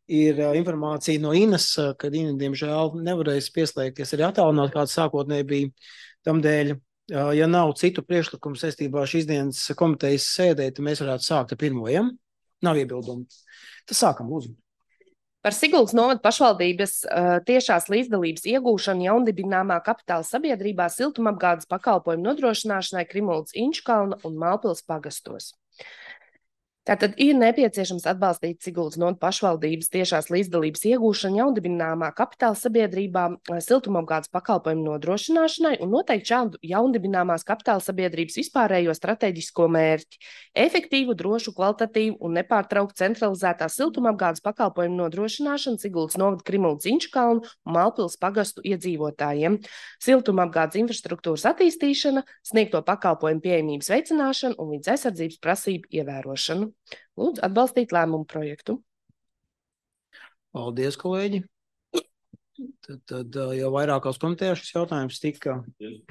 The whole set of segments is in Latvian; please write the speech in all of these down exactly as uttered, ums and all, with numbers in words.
ir informācija no Inas, kad Ina, diemžēl, nevarēs pieslēgties arī attālināt, kāds sākotnēji bija. Tamdēļ, ja nav citu priekšlikumu saistībā ar šīs dienas komitejas sēdē, tad mēs varētu sākt ar pirmo, ja? Nav iebildumu. Tad sākam, lūdzu. Par Siguldas novada pašvaldības uh, tiešās līdzdalības iegūšanu jaundibināmā kapitāla sabiedrībā siltumapgādes pakalpojumu nodrošināšanai Krimuldas Inčukalna un Mālpils pagastos. Tātad ir nepieciešams atbalstīt Siguldas novada pašvaldības tiešās līdzdalības iegūšanu jaundibināmā kapitāla sabiedrībā siltumapgādes pakalpojumu nodrošināšanai un noteikt šādu jaundibināmās kapitāla sabiedrības vispārējo strateģisko mērķi – efektīvu, drošu, kvalitatīvu un nepārtraukt centralizētā siltumapgādes pakalpojumu nodrošināšanu Siguldas novada Krimuldas Inčukalnu un Mālpils pagastu iedzīvotājiem, siltumapgādes infrastruktūras attīstīšana, sniegto pakalpojumu pieejamības veicināšana un vides aizsardzības prasību ievērošanu. Lūdzu, atbalstīt lēmumu projektu. Paldies, kolēģi. Tad, tad jau vairākās komitejās šis jautājums tika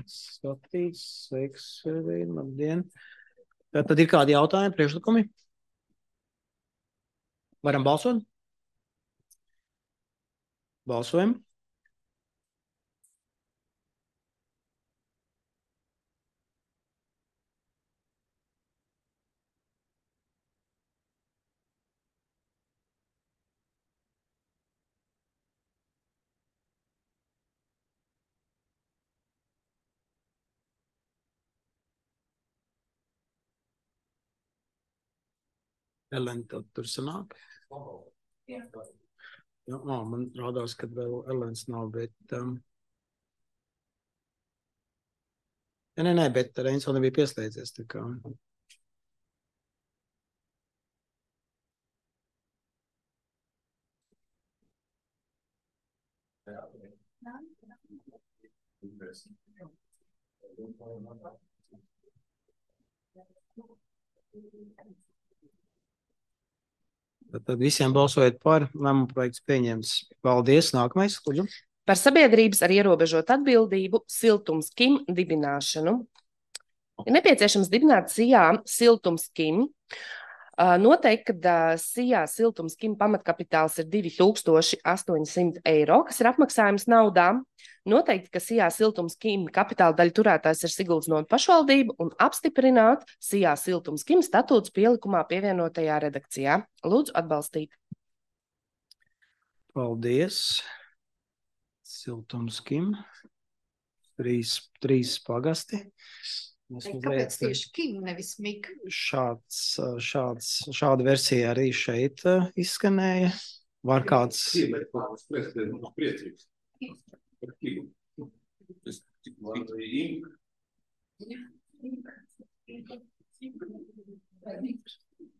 skatīts. Sveiks, labdien. Tad, tad ir kādi jautājumi, priekšlikumi? Varam balsot? Balsojam. Elena, tad tur sanāk? Jā. Jā, ó, man rādās, ka vēl Elenas nav, bet... Um... Ja, nē, nē, bet Reins vēl nebija pieslēdzies, tā kā... Tad visiem balsojot par, lēmumu projekts pieņems. Paldies. Nākamais, lūdzu. Par sabiedrības ar ierobežot atbildību Siltums Kim dibināšanu. Ir nepieciešams dibināt Sijā Siltums Kim. Noteikti, ka Sijā Siltums Kim pamatkapitāls ir divi tūkstoši astoņi simti eiro, kas ir apmaksājums naudā. Noteikti, ka Sijā Siltums Kim kapitāla daļa turētājs ir Siguldas novada pašvaldība un apstiprināt Sijā Siltums Kim statūts pielikumā pievienotajā redakcijā. Lūdzu, atbalstīt. Paldies. Siltums Kim. Trīs, trīs pagasti. Kāpēc tieši Kim, nevis Mika? Šāds, šāds, šāda versija arī šeit izskanēja. Var kāds...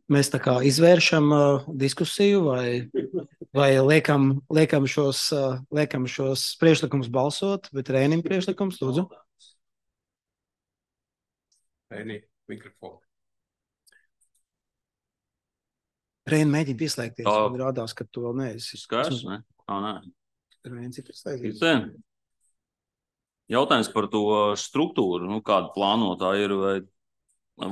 Mēs tā kā izvēršam uh, diskusiju vai, vai liekam, liekam, šos, uh, liekam šos priekšlikumus balsot, bet Rēnim priekšlikums, lūdzu. Rēni, mikrofonu. Rēni, mēģini pieslēgties. Man rādās, ka tu vēl neesi. Skars, ne? Ā, nē. Rēns ir pieslēgties. Jautājums par to struktūru, nu, kāda plānotā ir, vai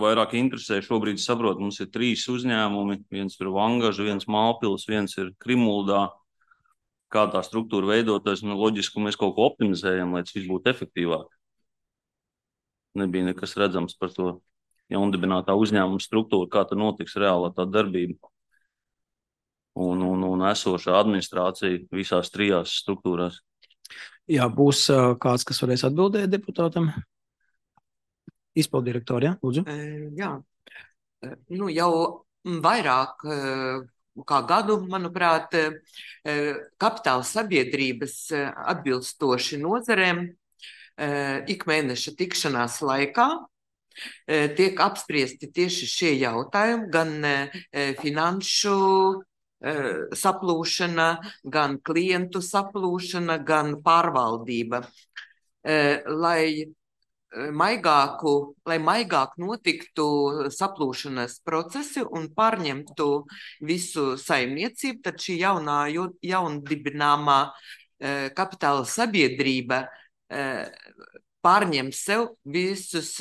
vairāk interesē. Šobrīd saprot, mums ir trīs uzņēmumi, viens ir Vangaža, viens Mālpils, viens ir Krimuldā. Kā tā struktūra veidoties, nu, loģiski mēs kaut ko optimizējam, lai tas viss būtu efektīvāk. Nebija nekas redzams par to jaundibinātā uzņēmuma struktūru, kā tā notiks reālā tā darbība. Un, un, un esošā administrācija visās trijās struktūrās. Jā, būs uh, kāds, kas varēs atbildēt deputātam. Izpildirektori, jā, lūdzu. Jā, nu jau vairāk kā gadu, manuprāt, kapitāla sabiedrības atbilstoši nozarēm ikmēneša tikšanās laikā tiek apspriesti tieši šie jautājumi, gan finanšu saplūšana, gan klientu saplūšana, gan pārvaldība, lai maigāku, lai maigāk notiktu saplūšanas procesi un pārņemtu visu saimniecību, tad šī jaunā, jaundibināmā kapitāla sabiedrība pārņem sev visus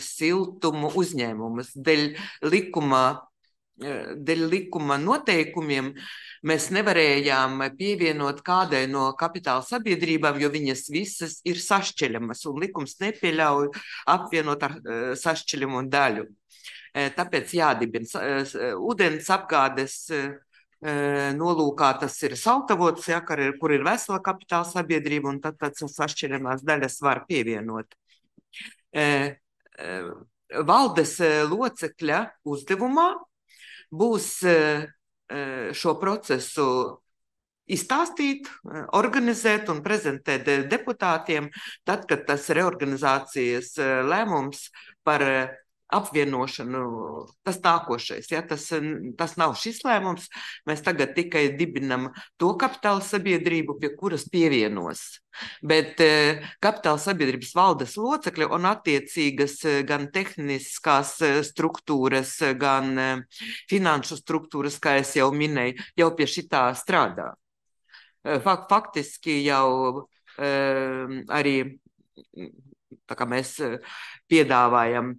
siltumu uzņēmumus. Dēļ likuma dēļ likuma noteikumiem mēs nevarējām pievienot kādai no kapitāla sabiedrībām, jo viņas visas ir sašķeļamas, un likums nepieļauj apvienot ar sašķeļamu daļu. Tāpēc jādibina ūdens apgādes nolūkā, tas ir Saltavots, ja, kur ir vesela kapitāla sabiedrība, un tad tāds sašķeļamās daļas var pievienot. Valdes locekļa uzdevumā būs šo procesu izstāstīt, organizēt un prezentēt deputātiem, tad, kad tas reorganizācijas lēmums par apvienošanu, tas nākošais. Ja, tas, tas nav šis lēmums, mēs tagad tikai dibinam to kapitāla sabiedrību, pie kuras pievienos. Bet kapitāla sabiedrības valdes locekļi un attiecīgas gan tehniskās struktūras, gan finanšu struktūras, kā es jau minēju, jau pie šitā strādā. Faktiski jau arī tā kā mēs piedāvājam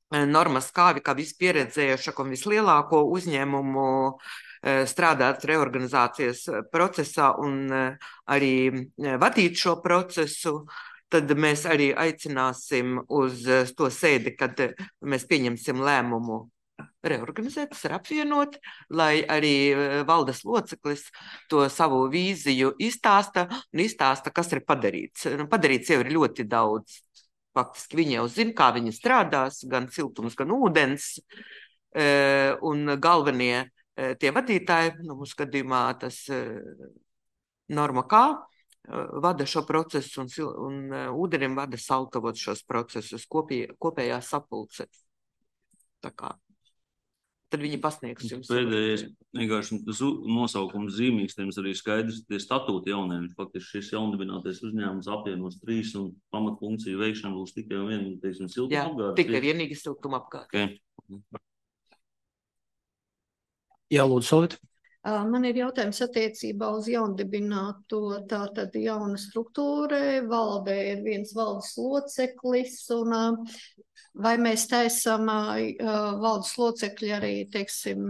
normas kāvi, kā vispieredzējušāk un vislielāko uzņēmumu strādāt reorganizācijas procesā un arī vadīt šo procesu, tad mēs arī aicināsim uz to sēdi, kad mēs pieņemsim lēmumu reorganizēt, tas ir apvienot, lai arī valdes loceklis to savu vīziju izstāsta un izstāsta, kas ir padarīts. Padarīts jau ir ļoti daudz. Faktiski viņi jau zina, kā viņi strādās, gan siltums, gan ūdens, un galvenie tie vadītāji, nu, mūsu gadījumā tas Norma Kā, vada šo procesu, un, un ūdenim vada Saltavots šos procesus, kopī, kopējā sapulce. Tā kā. Tad viņi pasniegs jums. Pēdējais, vienkārši tas nosaukums zīmīgs, tiem arī skaidrs, tie statūti jauniem. Faktiski šis jaundibinātais uzņēmums apvienos trīs un pamatfunkciju veikšana būs tikai un vien, teiksim, siltuma apgādes. Jā, tikai vienīgi siltuma apgādes. Okay. Jā, lūdzu, Solvit. Man ir jautājums attiecībā uz jaundibināto, tātad jauna struktūra, valdē ir viens valdes loceklis, un vai mēs taisam valdes locekļi arī, teiksim,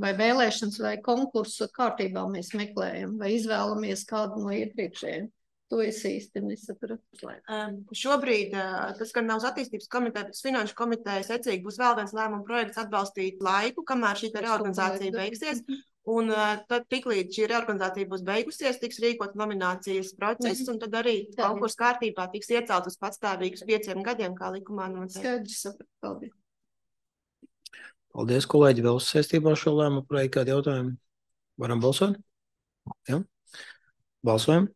vai vēlēšanas vai konkursu kārtībā mēs meklējam, vai izvēlamies kādu no iepriekšējiem? To es īsti nesapratu. Um, šobrīd uh, tas, ka nav uz attīstības komiteja, bet uz finanšu komiteja secīgi būs vēl viens lēmuma projekts atbalstīt laiku, kamēr šī reorganizācija beigsies. Un uh, tad tiklīdz šī reorganizācija būs beigusies, tiks rīkot nominācijas process, mm. un tad arī konkursu kārtībā tiks iecelt uz patstāvīgus pieciem gadiem, kā likumā noteikti. Skaidrs, sapratu. Paldies. Paldies, kolēģi, vēl saistībā ar šo lēmumu projektu kādi jautājumi? Varam balsot? Jā. Balsojam.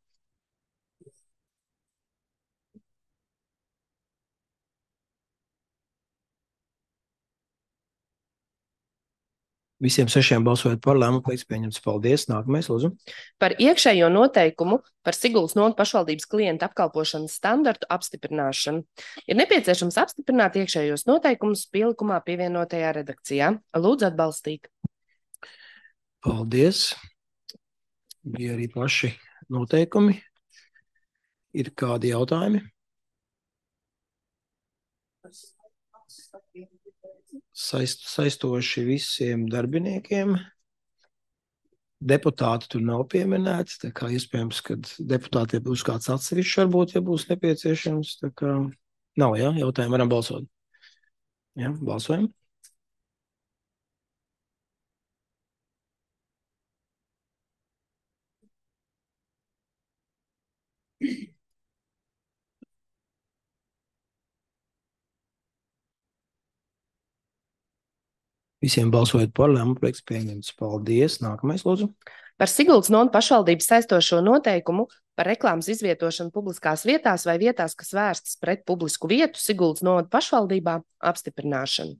Visiem sešiem balsojot par lēmumu projekts pieņemts. Paldies. Nākamais, lūdzu. Par iekšējo noteikumu par Siguldas novadas pašvaldības klientu apkalpošanas standartu apstiprināšanu. Ir nepieciešams apstiprināt iekšējos noteikumus pielikumā pievienotajā redakcijā. Lūdzu atbalstīt. Paldies. Bija arī paši noteikumi. Ir kādi jautājumi? Saist, saistoši visiem darbiniekiem. Deputāti tur nav pieminēti, tā kā iespējams, kad deputātiem būs kāds atsevišķs, varbūt, ja būs nepieciešams. Tā kā nav, jā, jautājumi, varam balsot. Jā, balsojam. Visiem balsojot par lēmumu projekts pieņemts. Paldies. Nākamais, lūdzu. Par Siguldas novadas pašvaldības saistošo noteikumu par reklāmas izvietošanu publiskās vietās vai vietās, kas vērstas pret publisku vietu Siguldas novadas pašvaldībā apstiprināšanu.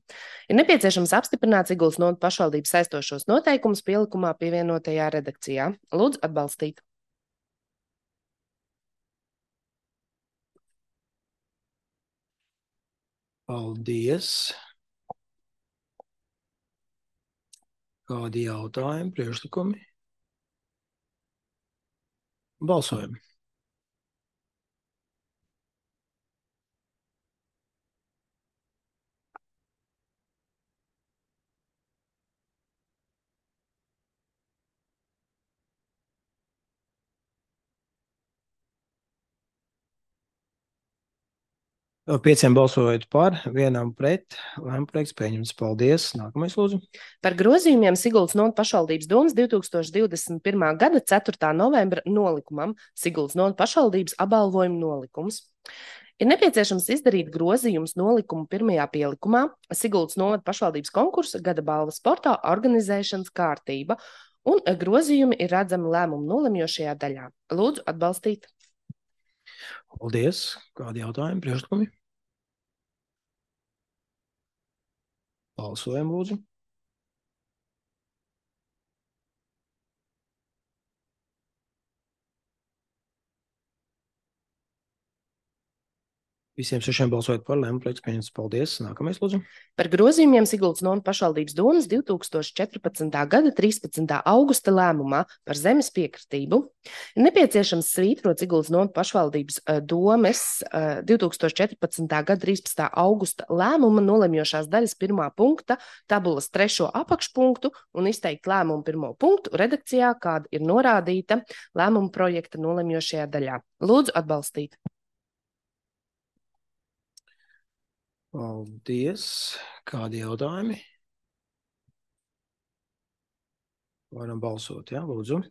Ir nepieciešams apstiprināt Siguldas novadas pašvaldības saistošos noteikumus pielikumā pievienotajā redakcijā. Lūdzu atbalstīt. Paldies. Kādi jautājumi, priekšlikumi? Balsojam. Pieciem balsojot par, vienam pret, lēmuma projekts pieņemts. Paldies. Nākamais, lūdzu. Par grozījumiem Siguldas novada pašvaldības domas divtūkstoš divdesmit pirmā gada ceturtā novembra nolikumam Siguldas novada pašvaldības apbalvojuma nolikums. Ir nepieciešams izdarīt grozījumus nolikumu pirmajā pielikumā Siguldas novada pašvaldības konkursa gada balvas sportā organizēšanas kārtība, un grozījumi ir redzami lēmumu nolemjošajā daļā. Lūdzu atbalstīt. Paldies. Kādi jautājumi, priekšlikumi? Balsojam, lūdzu. Visiem sešiem balsojot par, lēmuma projekts pieņemts. Paldies. Nākamais, lūdzu. Par grozījumiem Siguldas novada pašvaldības domas divtūkstoš četrpadsmitā gada trīspadsmitā augusta lēmumā par zemes piekritību ir nepieciešams svītrot Siguldas novada pašvaldības domes divtūkstoš četrpadsmitā gada trīspadsmitā augusta lēmuma nolemjošās daļas pirmā punkta tabulas trešo apakšpunktu un izteikt lēmumu pirmo punktu redakcijā, kāda ir norādīta lēmuma projekta nolemjošajā daļā. Lūdzu atbalstīt. Paldies. Kādi jautājumi? Varam balsot, jā, lūdzu.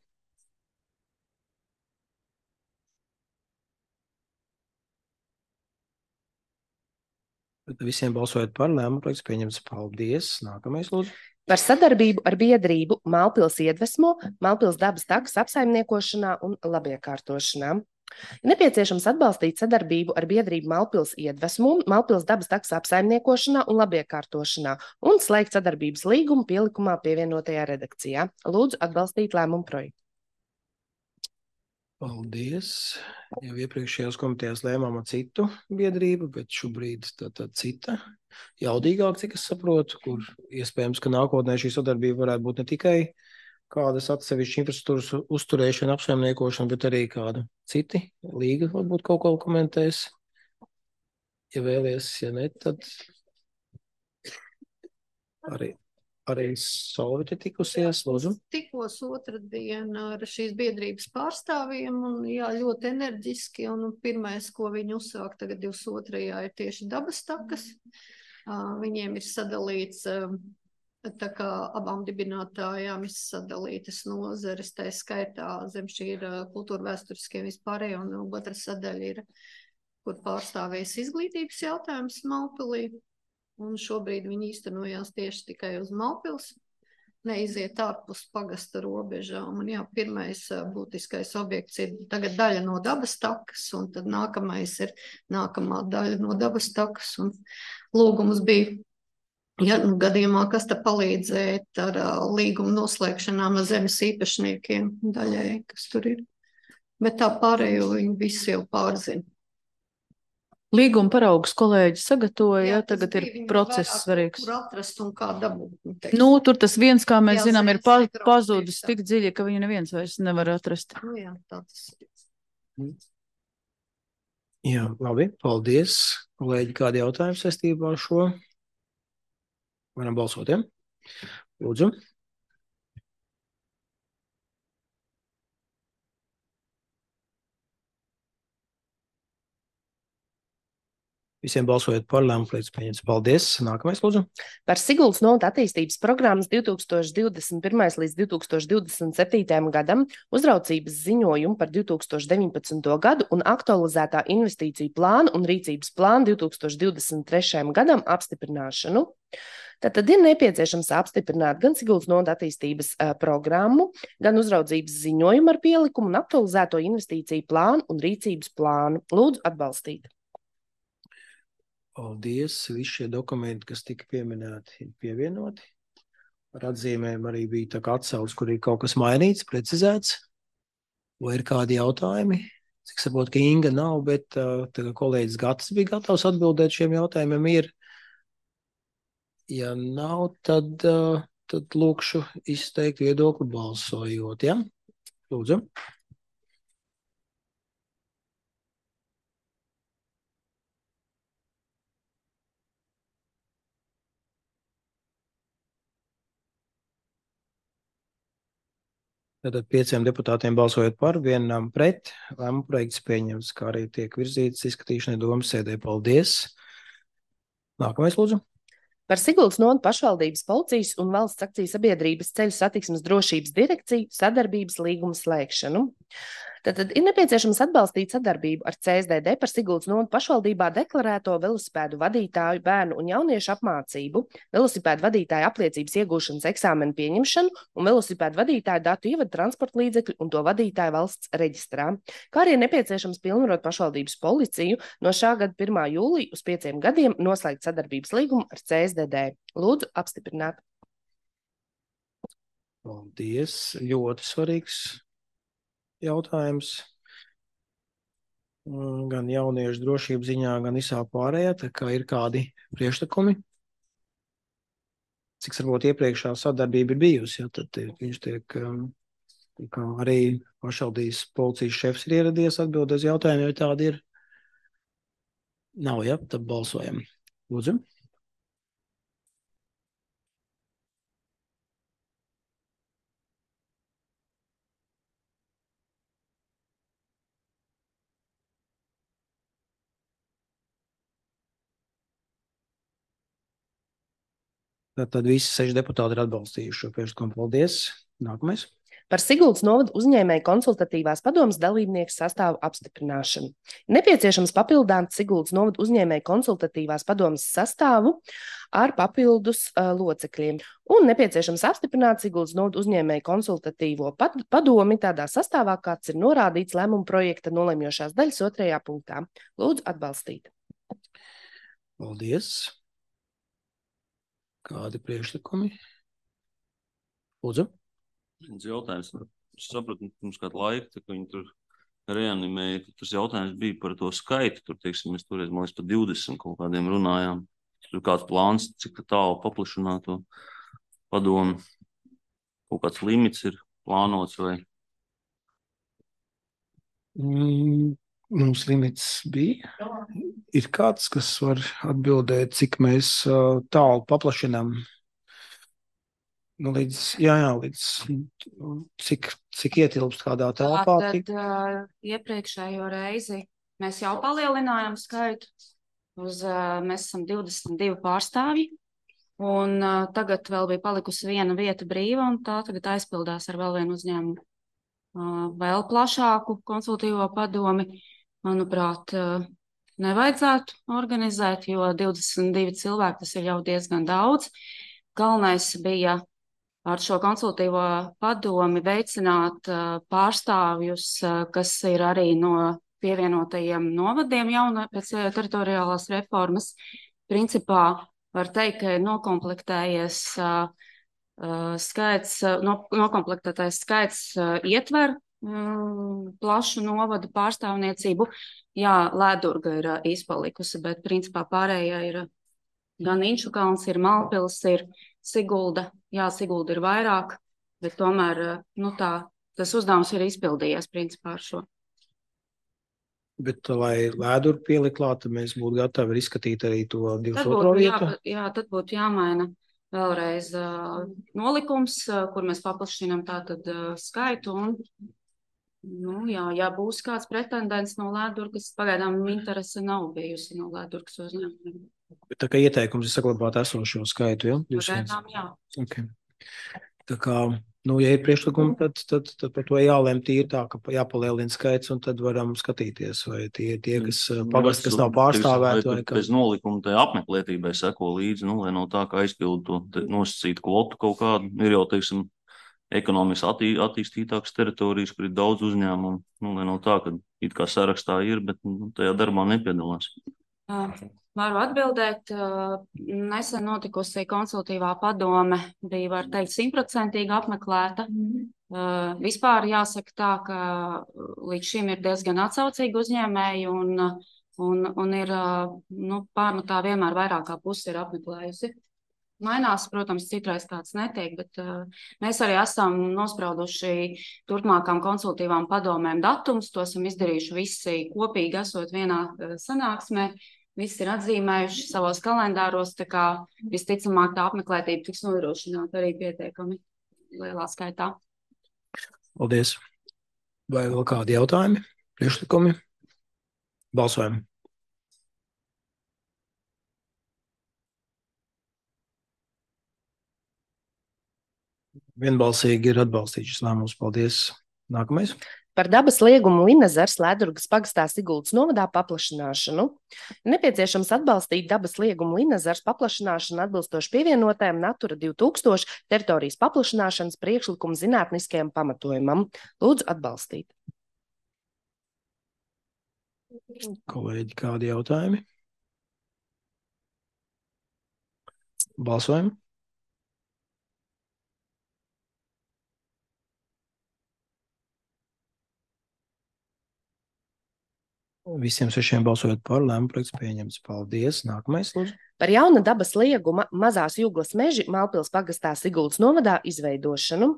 Visiem balsojot par, lēmuma projekts pieņemts. Paldies. Nākamais, lūdzu. Par sadarbību ar biedrību Mālpils iedvesmo, Mālpils dabas takas apsaimniekošanā un labiekārtošanā. Ir nepieciešams atbalstīt sadarbību ar biedrību Mālpils iedvesmu, Mālpils dabas takas apsaimniekošanā un labiekārtošanā un slēgt sadarbības līgumu pielikumā pievienotajā redakcijā. Lūdzu atbalstīt lēmumu projektu. Paldies. Jau iepriekšējās komitejās lēmām ar citu biedrību, bet šobrīd tā, tā cita jaudīgāk, cik es saprotu, kur iespējams, ka nākotnē šī sadarbība varētu būt ne tikai kādas atsevišķas infrastruktūras uzturēšana, apsaimniekošana, bet arī kāda citi līga varbūt kaut ko komentēs. Ja vēlies, ja ne, tad arī, arī Solvita tikusies, lūdzu. Tikos otrdien ar šīs biedrības pārstāvjiem un jā, ļoti enerģiski, un pirmais, ko viņi uzsāk tagad divdesmit otrajā ir tieši dabas takas. Viņiem ir sadalīts tā kā abām dibinātājām ir sadalītas nozares, tā skaitā zem šī ir kultūra vēsturiskie vispārējo, un otra sadaļa ir, kur pārstāvēs izglītības jautājums Mālpilī, un šobrīd viņi īstenojās tieši tikai uz Mālpils, neiziet ārpus pagasta robežām, un jā, pirmais būtiskais objekts ir tagad daļa no dabas takas, un tad nākamais ir nākamā daļa no dabas takas, un lūgums bija, ja, nu, gadījumā, kas te palīdzēt ar uh, līgumu noslēgšanām ar zemes īpašniekiem daļai, kas tur ir. Bet tā pārējo viņi visi jau pārzina. Līguma paraugus kolēģi sagatavoja, Jā, tagad ir bija process vairāk, svarīgs. Kur atrast un kā dabūt. Nu, tur tas viens, kā mēs Jā, zinām, ir zemes pa, sektora pazudis objektā. tik dziļi, ka viņu neviens vairs nevar atrast. Nu, jā, tā tas ir. Jā, labi, paldies. Kolēģi, kādi jautājumi saistībā ar šo? Varam balsot, ja? Lūdzu. Visiem balsojot par, lēmuma projekts pieņemts. Paldies. Nākamais, lūdzu. Par Siguldas novada attīstības programmas divtūkstoš divdesmit pirmais līdz divtūkstoš divdesmit septītajam gadam uzraudzības ziņojumu par divtūkstoš deviņpadsmito gadu un aktualizētā investīciju plānu un rīcības plānu divtūkstoš divdesmit trešajam gadam apstiprināšanu. Tātad ir nepieciešams apstiprināt gan Siguldas novada attīstības uh, programmu, gan uzraudzības ziņojumu ar pielikumu un aktualizēto investīciju plānu un rīcības plānu. Lūdzu atbalstīt. Paldies. Visi šie dokumenti, kas tika pieminēti, ir pievienoti. Ar atzīmēm arī bija tā kā atsauce, kur ir kaut kas mainīts, precizēts. Vai ir kādi jautājumi? Cik saprotu, ka Inga nav, bet uh, tā kolēģis Gatis bija gatavs atbildēt šiem jautājumiem. Ir. Ja nav, tad, uh, tad lūkšu izteikt viedokli balsojot. Ja? Lūdzu. Tātad pieciem deputātiem balsojot par, vienam pret, lēmuma projekts pieņems, kā arī tiek virzīts izskatīšanai domas sēdē. Paldies! Nākamais, lūdzu. Par Siguldas novada pašvaldības policijas un valsts akciju sabiedrības ceļu satiksmes drošības direkciju sadarbības līgumu slēgšanu. Tātad ir nepieciešams atbalstīt sadarbību ar C S D D par Siguldas novada pašvaldībā deklarēto velosipēdu vadītāju bērnu un jauniešu apmācību, velosipēdu vadītāju apliecības iegūšanas eksāmenu pieņemšanu un velosipēdu vadītāju datu ievadu transporta līdzekļu un to vadītāju valsts reģistrā. Kā arī ir nepieciešams pilnvarot pašvaldības policiju no šā gada pirmā jūlija uz pieciem gadiem noslēgt sadarbības līgumu ar C S D D. Lūdzu, apstiprināt. Paldies! Ļoti svarīgs jautājums. Gan jauniešu drošības ziņā, gan visā pārējā, tā kā ir kādi priekšlikumi. Cik varbūt iepriekšā sadarbība ir bijusi, ja, tad tiek, viņš tiek, kā arī pašvaldības policijas šefs ir ieradies atbildēt uz jautājumu, ja tādi ir. Nav, ja, tad balsojam. Lūdzu. Tad visi seši deputāti ir atbalstījuši šo priekšlikumu. Paldies. Nākamais. Par Siguldas novada uzņēmēju konsultatīvās padomes dalībnieku sastāvu apstiprināšanu. Nepieciešams papildināt Siguldas novada uzņēmēju konsultatīvās padomes sastāvu ar papildus uh, locekļiem. Un nepieciešams apstiprināt Siguldas novada uzņēmēju konsultatīvo padomi tādā sastāvā, kāds ir norādīts lēmuma projekta nolemjošās daļas otrajā punktā. Lūdzu atbalstīt. Paldies. Kādi priekšlikumi? Lūdzu. Viens jautājums. Es sapratu, mums kādu laiku, tā, ka viņi tur reanimēja, ka tas jautājums bija par to skaitu. Tur, teiksim, mēs toreiz, man liekas, par divdesmit kaut kādiem runājām. Tur kāds plāns, cik tālu paplašināt to padomu. Kaut kāds limits ir plānots vai? Mm, mums limits bija. Ir kāds, kas var atbildēt, cik mēs uh, tālu paplašinām. Nu, līdz, jā, jā, līdz cik, cik ietilpst kādā telpā. Tātad uh, iepriekšējo reizi mēs jau palielinājām skaitu. Uz, uh, mēs esam divdesmit divi pārstāvji. Un uh, tagad vēl bija palikusi viena vieta brīva, un tā tagad aizpildās ar vēl vienu uzņēmumu. Uh, vēl plašāku konsultīvo padomi, manuprāt, uh, nevajadzētu organizēt, jo divdesmit divi cilvēki tas ir jau diezgan daudz. Galvenais bija ar šo konsultīvo padomi veicināt uh, pārstāvjus, uh, kas ir arī no pievienotajiem novadiem jauna pēc teritoriālās reformas. Principā var teikt, ka ir nokomplektējies uh, uh, skaits, uh, no, nokomplektētais skaits uh, ietver uh, plašu novadu pārstāvniecību. Jā, Lēdurga ir uh, izpalikusi, bet principā pārējā ir uh, gan Inčukalns, ir Malpils, ir Sigulda. Jā, Sigulda ir vairāk, bet tomēr nu, tā, tas uzdevums ir izpildījies principā ar šo. Bet, lai Lēduru pielikt klāt, mēs būtu gatavi izskatīt arī to divdesmit otro vietu. Jā, jā, tad būtu jāmaina vēlreiz uh, nolikums, uh, kur mēs paplašinām tātad uh, skaitu. Un, nu, jā, ja būs kāds pretendents no Lēdurgas, pagaidām interese nav bijusi no Lēdurgas uzņēmumiem. Tā kā ieteikums ir saglabāt esošo skaitu, ja? Pagaidām, jā. Okay. Tā kā, nu, ja ir priekšlikumi, tad, tad, tad par to jālēm tīri tā, ka jāpalielina skaits, un tad varam skatīties, vai tie, tie kas pagast, kas nav pārstāvēti. Vai ka... Pēc nolikuma tai apmeklētībai seko līdzi, nu, lai no tā, ka aizpildu to nosacītu kvotu kaut kādu, ir jau, teiksim, ekonomiski attī, attīstītākas teritorijas, kur ir daudz uzņēmumu, nu, lai no tā, ka it kā sarakstā ir, bet nu, tajā darbā nepiedalās. Jā. Varu atbildēt, nesen notikusi konsultīvā padome bija, var teikt, simtprocentīgi apmeklēta. Mm. Vispār jāsaka tā, ka līdz šim ir diezgan atsaucīgi uzņēmēji un, un, un ir, nu, pārmatā vienmēr vairāk kā pusi ir apmeklējusi. Mainās, protams, citreiz kāds netiek, bet uh, mēs arī esam nosprauduši turpmākām konsultīvām padomēm datumus, to esam izdarījuši visi kopīgi esot vienā uh, sanāksmē. Visi ir atzīmējuši savos kalendāros, tā kā visticamāk tā apmeklētība tiks nodrošināta arī pietiekami lielā skaitā. Paldies. Vai vēl kādi jautājumi, priekšlikumi? Balsojam. Vienbalsīgi ir atbalstīts šis lēmums. Paldies. Nākamais. Par dabas liegumu Linezers Ledurgas pagastā Siguldas novadā paplašināšanu. Nepieciešams atbalstīt dabas liegumu Linezers paplašināšanu atbilstoši pievienotajam Natura divi tūkstoši teritorijas paplašināšanas priekšlikumu zinātniskajam pamatojumam. Lūdzu atbalstīt. Kolēģi, kādi jautājumi? Balsojam. Visiem sešiem balsojot par, lēmumu projekts pieņemts. Paldies. Nākamais, lūdzu. Par jauna dabas lieguma Mazās Jūglas meži Mālpils pagastā Siguldas novadā izveidošanu.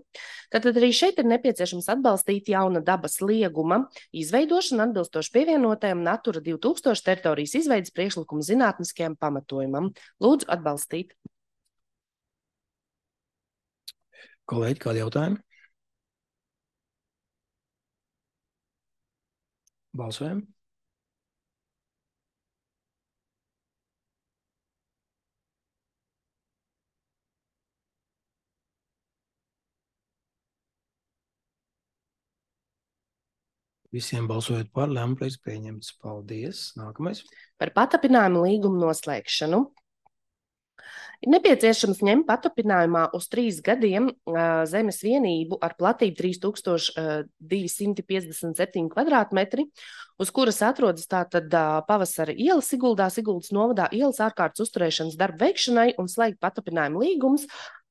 Tātad arī šeit ir nepieciešams atbalstīt jauna dabas lieguma izveidošanu atbilstoši pievienotajam Natura divi tūkstoši teritorijas izveidas priekšlikumu zinātniskajam pamatojumam. Lūdzu atbalstīt. Kolēģi, kādi jautājumi? Balsojam. Visiem balsojot par, lēmumu projekts pieņemts. Paldies. Nākamais. Par patapinājumu līgumu noslēgšanu. Ir nepieciešams ņemt patapinājumā uz trīs gadiem uh, zemes vienību ar platību trīs tūkstoši divi simti piecdesmit septiņi kvadrātmetri, uz kuras atrodas tātad uh, Pavasara iela Siguldā, Siguldas novadā ielas ārkārtas uzturēšanas darbu veikšanai un slēgt patapinājumu līgums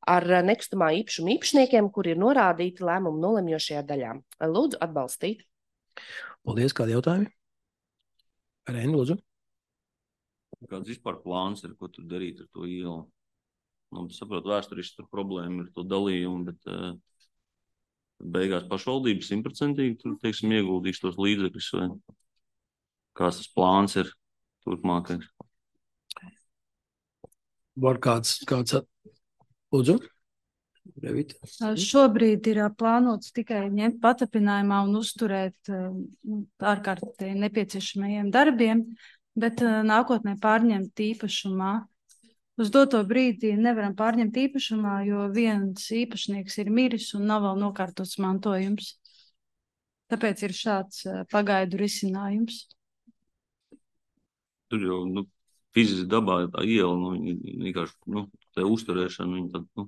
ar uh, nekustamā īpašuma īpašniekiem, kuri ir norādīti lēmumu nolemjošajā daļā. Lūdzu atbalstīt. Paldies. Kādi jautājumi? Reini, lūdzu. Kāds vispār plāns ir, ko tur darīt ar to ielu? Nu, saprotu, vēsturiski tur problēma ir to dalījumu, bet uh, beigās pašvaldības simtprocentīgi tur, teiksim, ieguldīs tos līdzekļus, vai kāds tas plāns ir turpmākais? Var kāds, kāds at... Lūdzu. Revita. Šobrīd ir plānots tikai ņemt patapinājumā un uzturēt ārkārtīgi nepieciešamajiem darbiem, bet nākotnē pārņemt īpašumā. Uz doto brīdi nevaram pārņemt īpašumā, jo viens īpašnieks ir miris un nav vēl nokārtots mantojums. Tāpēc ir šāds pagaidu risinājums. Tur jau, nu, fiziski dabā tā iela, nu, vienkārši, nu, tā uzturēšana, viņa tad, nu,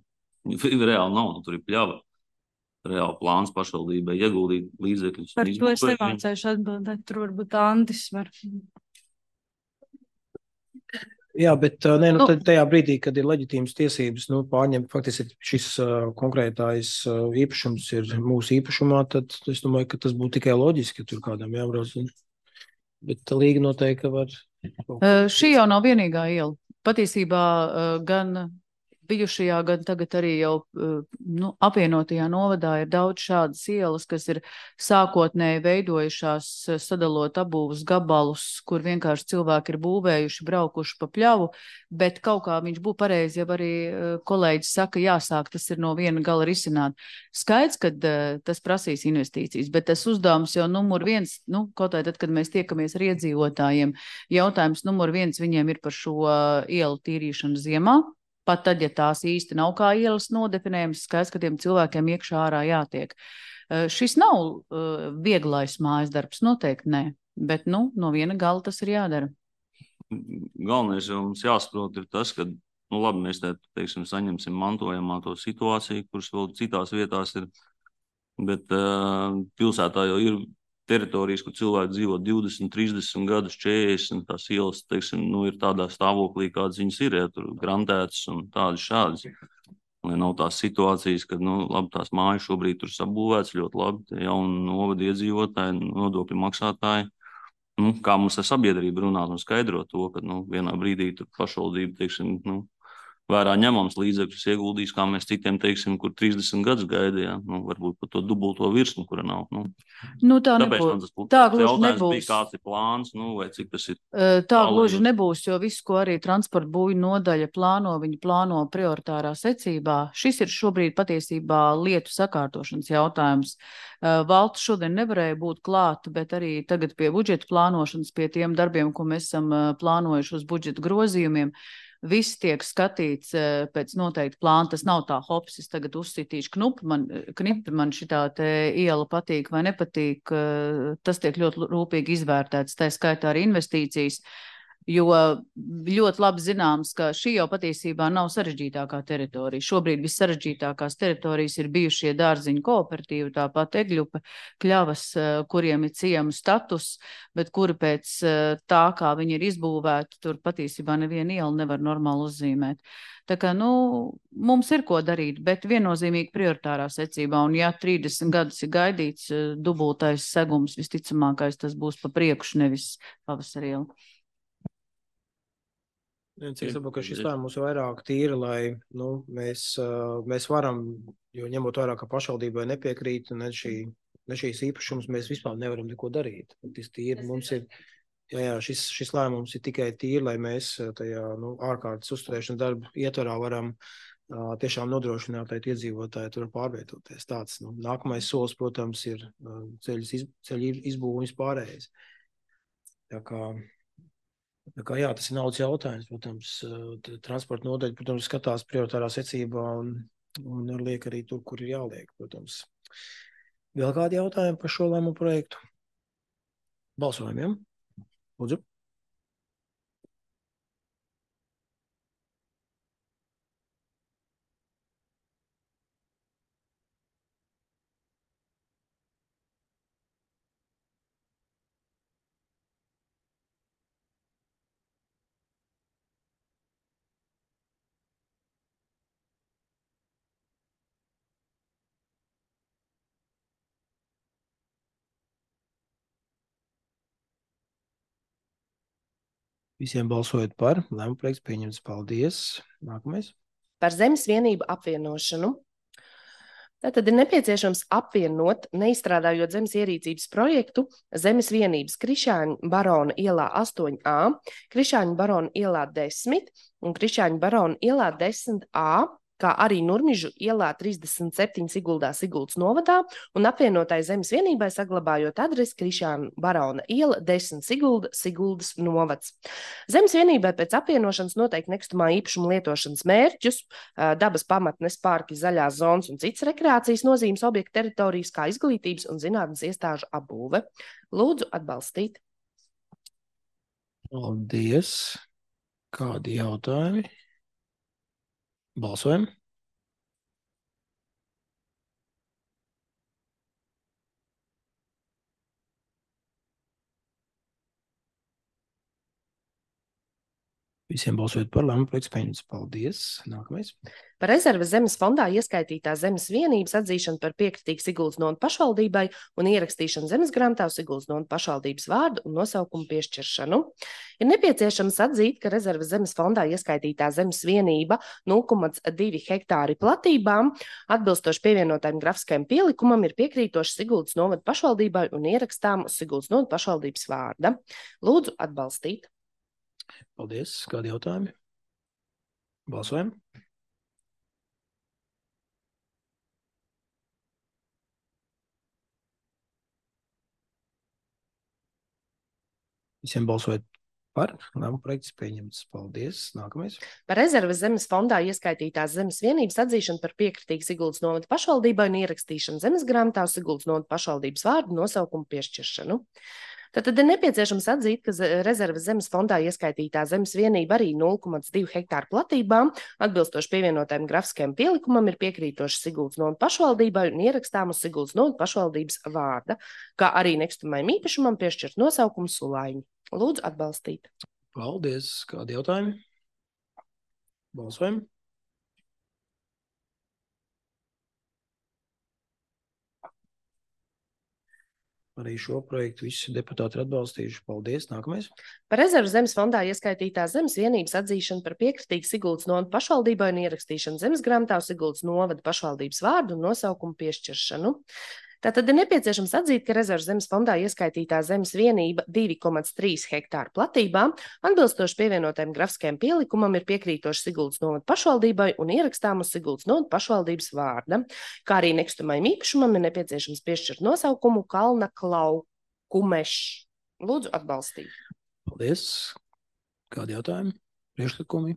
viņa reāli nav, nu, tur ir pļava. Reāli plāns pašvaldībai ieguldīt līdzekļus. Par to es nemācēšu atbildēt, tur varbūt Andis var. Jā, bet ne, nu, nu, tajā brīdī, kad ir leģitīmas tiesības, nu, pārņemt, faktiski šis uh, konkrētais uh, īpašums ir mūsu īpašumā, tad es domāju, ka tas būtu tikai loģiski, ka tur kādam jābrauc. Bet līga noteikti var. Uh, šī jau nav vienīgā iela. Patiesībā uh, gan bijušajā, gan tagad arī jau nu, apvienotajā novadā ir daudz šādas ielas, kas ir sākotnēji veidojušās sadalot abūvus gabalus, kur vienkārši cilvēki ir būvējuši, braukuši pa pļavu, bet kaut kā viņš būtu pareizi, ja arī kolēģis saka, jāsāk, tas ir no viena gala risināt. Skaidrs, ka tas prasīs investīcijas, bet tas uzdevums jau numur viens, nu, kaut arī tad, kad mēs tiekamies ar iedzīvotājiem, jautājums numur viens viņiem ir par šo ielu tīrīšanu ziemā. Pat tad, ja tās īsti nav kā ielas nodefinējums, skaidrs, ka tiem cilvēkiem iekšā ārā jātiek. Uh, šis nav uh, vieglais mājas darbs, noteikti nē, bet nu, no viena gala tas ir jādara. Galvenais jau mums jāsaprot ir tas, ka, nu labi, mēs te, teiksim, saņemsim mantojamā to situāciju, kuras vēl citās vietās ir, bet uh, pilsētā jau ir teritorijas, kur cilvēki dzīvo divdesmit, trīsdesmit gadus, četrdesmit, tās ielas, teiksim, nu, ir tādā stāvoklī, kādas viņas ir, ja tur grantētas un tādas šādas. Lai nav tās situācijas, kad, nu, labi, tās mājas šobrīd tur sabūvēts ļoti labi, tie jauni novada iedzīvotāji, nodokļu maksātāji. Nu, kā mums ar sabiedrību runāt un skaidrot to, ka, nu, vienā brīdī tur pašvaldība, teiksim, nu, vērā ņemams līdzekļus ieguldījis, kā mēs citiem teiksim, kur trīsdesmit gadus gaidījām, nu, varbūt pat to dubulto virsmu, kura nav. Nu, Nu, tā tāpēc nebūs. man tas būtu Tā tāds gluži jautājums nebūs. bija, kāds ir plāns, nu, vai cik tas ir. Tā tālu gluži ejot. nebūs, jo visu, ko arī transporta būju nodaļa plāno, viņi plāno prioritārā secībā. Šis ir šobrīd patiesībā lietu sakārtošanas jautājums. Valsts šodien nevarēja būt klāt, bet arī tagad pie budžeta plānošanas, pie tiem darbiem, ko mēs esam plānojuši uz budžeta grozījumiem, viss tiek skatīts pēc noteikti plāna. Tas nav tā, hops, es tagad uzsitīšu knupi, man, knipi, man šitā te iela patīk vai nepatīk. Tas tiek ļoti rūpīgi izvērtēts, tā skaitā arī investīcijas, jo ļoti labi zināms, ka šī jau patiesībā nav sarežģītākā teritorija. Šobrīd vissarežģītākās teritorijas ir bijušie dārziņu kooperatīvi, tāpat Egļupe, Kļavas, kuriem ir ciemu status, bet kuri pēc tā, kā viņi ir izbūvēti, tur patiesībā nevienu ielu nevar normāli uzzīmēt. Tā kā, nu, mums ir ko darīt, bet viennozīmīgi prioritārā secībā, un ja trīsdesmit gadus ir gaidīts dubultais segums, visticamākais tas būs pa priekšu, nevis pavasarī iela. Cik saprotu, ka šis lēmums ir vairāk tīri, lai nu, mēs, mēs varam, jo ņemot vairāk, ka pašvaldībai nepiekrīt, ne, šī, ne šīs īpašums, mēs vispār nevaram neko darīt. Tas tīri mums ir, jā, jā, šis, šis lēmums ir tikai tīri, lai mēs tajā nu, ārkārtas uzturēšanas darbu ietvarā varam uh, tiešām nodrošināt, lai iedzīvotāji tur pārvietoties. Tāds, nu, nākamais solis, protams, ir uh, ceļu iz, izbūvis pārējais. Tā kā Tā kā, jā, tas ir naudas jautājums, protams, transporta nodaļa, protams, skatās prioritārā secībā un, un liek arī tur, kur ir jāliek, protams. Vēl kādi jautājumi par šo lēmumu projektu? Balsojumiem. Lūdzu. Visiem balsojot par, lēmuma projekts pieņemts. Paldies. Nākamais. Par zemes vienību apvienošanu. Tātad ir nepieciešams apvienot, neizstrādājot zemes ierīcības projektu, zemes vienības Krišāņu barona ielā astoņi A, Krišāņu barona ielā desmit un Krišāņu barona ielā desmit A, kā arī Nurmižu ielā trīsdesmit septiņi Siguldā Siguldas novadā un apvienotai zemes vienībai saglabājot adresi Krišāņu barona iela desmit Sigulda Siguldas novads. Zemes vienībai pēc apvienošanas noteikti nekustamā īpašuma lietošanas mērķus, dabas pamatnes, parki, zaļās zonas un citas rekreācijas nozīmes objektu teritorijas, kā izglītības un zinātnes iestāžu apbūve. Lūdzu atbalstīt. Paldies. Kādi jautājumi? Balsojam. Visiem balsojot par lēmumu projekts pieņemts. Paldies. Nākamais. Par rezerves zemes fondā ieskaitītā zemes vienības atzīšanu par piekritīgu Siguldas novadas pašvaldībai un ierakstīšanu zemes grāmatā uz Siguldas novadas pašvaldības vārdu un nosaukumu piešķiršanu. Ir nepieciešams atzīt, ka rezerves zemes fondā ieskaitītā zemes vienība nulle komats divi hektāri platībām atbilstoši pievienotajam grafiskajam pielikumam ir piekrītoši Siguldas novadas pašvaldībai un ierakstām uz Siguldas novadas pašvaldības vārda. Lūdzu atbalstīt. Paldies. Kādi jautājumi? Balsojam. Visiem balsojot par, lēmuma projekts pieņemts. Paldies. Nākamais. Par rezerves zemes fondā ieskaitītās zemes vienības atzīšanu par piekritīgu Siguldas novadas pašvaldībai un ierakstīšanu zemes grāmatā uz Siguldas novadas pašvaldības vārdu nosaukumu piešķiršanu. Tātad ir nepieciešams atzīt, ka rezerves zemes fondā ieskaitītā zemes vienība arī nulle komats divi hektāru platībām atbilstoši pievienotajam grafiskajam pielikumam ir piekrītoši Siguldas novadas pašvaldībai un ierakstām uz Siguldas novadas pašvaldības vārda, kā arī nekustamajam īpašumam piešķirt nosaukumu Sulaiņi. Lūdzu atbalstīt. Paldies. Kādi jautājumi? Balsojam. Arī šo projektu visi deputāti ir atbalstījuši. Paldies. Nākamais. Par rezervu zemes fondā ieskaitītās zemes vienības atzīšanu par piekritīgu Siguldas novada pašvaldībai un ierakstīšanu zemes grāmatā uz Siguldas novada pašvaldības vārdu un nosaukumu piešķiršanu. Tātad ir nepieciešams atzīt, ka rezervu zemes fondā ieskaitītā zemes vienība divi komats trīs hektāru platībā atbilstoši pievienotajam grafiskajam pielikumam ir piekrītoši Siguldas novada pašvaldībai un ierakstām uz Siguldas novada pašvaldības vārda, kā arī nekustamajam īpašumam ir nepieciešams piešķirt nosaukumu Kalna Klaukumešs. Lūdzu atbalstīt. Paldies. Kādi jautājumi? Priekšlikumi?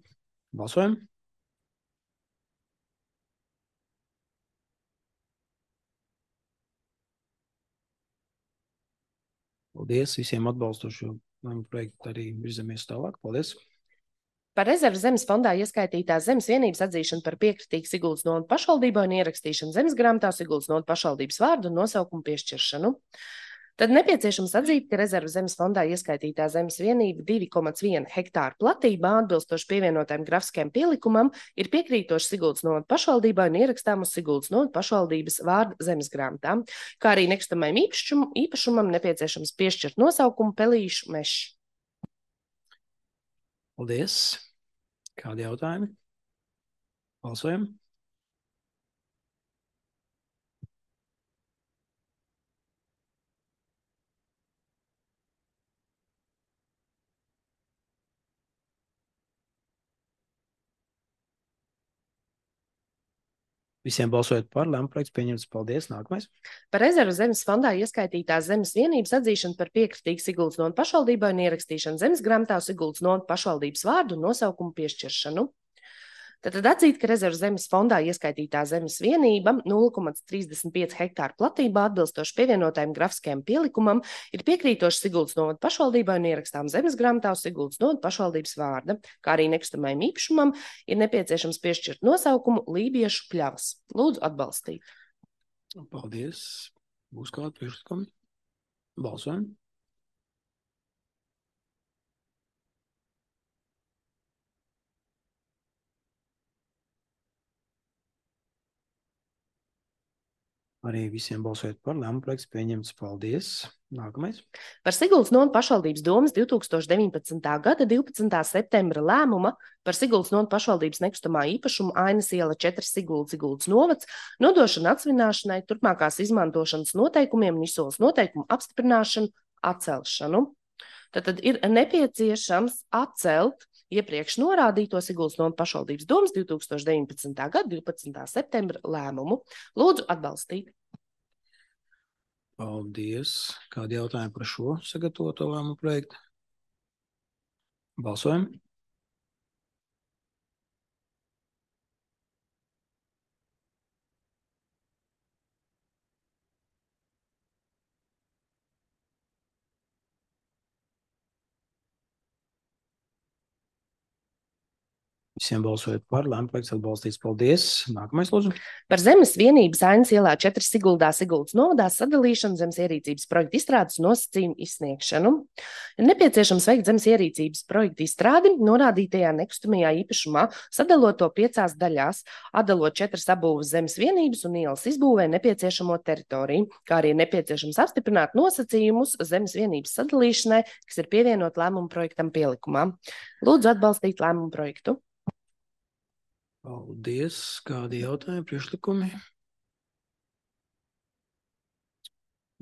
Balsojam. Paldies visiem atbalstošo projektu, arī virzamies tālāk. Paldies. Par rezervu zemes fondā ieskaitītās zemes vienības atzīšanu par piekritīgu Siguldas novada pašvaldībai un ierakstīšanu zemes grāmatā Siguldas novada pašvaldības vārdu un nosaukumu piešķiršanu. Tad nepieciešams atzīt, ka rezervu zemes fondā ieskaitītā zemes vienība divi komats viens hektāru platībā atbilstoši pievienotajam grafiskajam pielikumam ir piekrītoši Siguldas novada pašvaldībai un ierakstām uz Siguldas novada pašvaldības vārdu zemes grāmatām, kā arī nekustamajam īpašumam, īpašumam nepieciešams piešķirt nosaukumu Pelīšu mežs. Paldies. Kādi jautājumi? Balsojam. Visiem balsojot par, lēmuma projekts pieņemts. Paldies. Nākamais. Par rezervu zemes fondā ieskaitītās zemes vienības atzīšanu par piekritīgu Siguldas novada pašvaldībai un ierakstīšanu zemes grāmatā uz Siguldas novada pašvaldības vārdu un nosaukumu piešķiršanu. Tātad atzīt, ka rezervu zemes fondā ieskaitītā zemes vienība nulle komats trīsdesmit pieci hektāru platībā atbilstoši pievienotajam grafiskajam pielikumam ir piekrītoši Siguldas novada pašvaldībai un ierakstām zemes grāmatā uz Siguldas novada pašvaldības vārda, kā arī nekustamajam īpašumam ir nepieciešams piešķirt nosaukumu Lībiešu pļavas. Lūdzu atbalstīt. Paldies. Būs kādi priekšlikumi? Balsojam. Arī visiem balsojot par, lēmuma projekts pieņemts. Paldies. Nākamais. Par Siguldas novada pašvaldības domes divs tūkstoši deviņpadsmitā gada divpadsmitā septembra lēmuma par Siguldas novada pašvaldības nekustamā īpašuma Ainas iela četri Siguldas Siguldas novads nodošanu atsvināšanai, turpmākās izmantošanas noteikumiem un izsoles noteikumu apstiprināšanu atcelšanu. Tad ir nepieciešams atcelt iepriekš norādīto Siguldas novada pašvaldības domes divs tūkstoši deviņpadsmitā gada divpadsmitā septembra lēmumu. Lūdzu atbalstīt. Paldies. Kādi jautājumi par šo sagatavoto lēmumu projektu? Balsojam. Visiem balsojot par, lēmuma projekts atbalstīts. Paldies. Nākamais, lūdzu. Par zemes vienības Ainas ielā četri Siguldā Siguldas novadā sadalīšanu, zemes ierīcības projektu izstrādes nosacījumu izsniegšanu. Ir nepieciešams veikt zemes ierīcības projektu izstrādi norādītajā nekustamajā īpašumā, sadalot to piecās daļās, atdalot četras abūves zemes vienības un ielas izbūvē nepieciešamo teritoriju, kā arī ir nepieciešams apstiprināt nosacījumus zemes vienības sadalīšanai, kas ir pievienot lēmumu projektam pielikumā. Lūdzu atbalstīt lēmumu projektu. Paldies. Kādi jautājumi, priekšlikumi?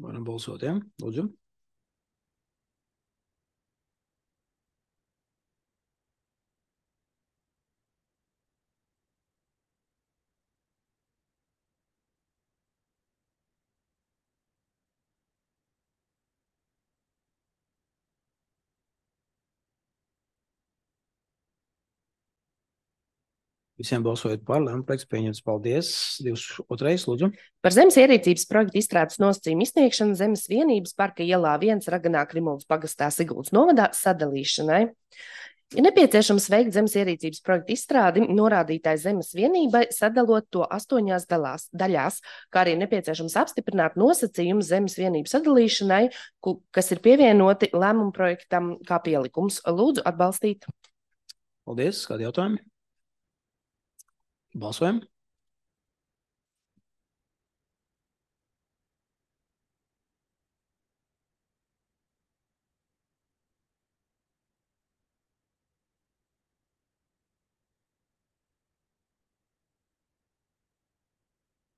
Varam balsot, jā? Lūdzu. Visiem balsojot par, lēmuma projekts pieņemts. Paldies. divdesmit otrais, lūdzu. Par zemes ierīcības projektu izstrādes nosacījumu izsniegšanu zemes vienības Parka ielā viens Raganā Krimuldas pagastā Siguldas novadā sadalīšanai. Ir nepieciešams veikt zemes ierīcības projektu izstrādi norādītāji zemes vienībai, sadalot to astoņās dalās, daļās, kā arī nepieciešams apstiprināt nosacījumu zemes vienības sadalīšanai, kas ir pievienoti lēmumu projektam kā pielikums. Lūdzu atbalstīt. Paldies. Kādi jautājumi? Balsojam.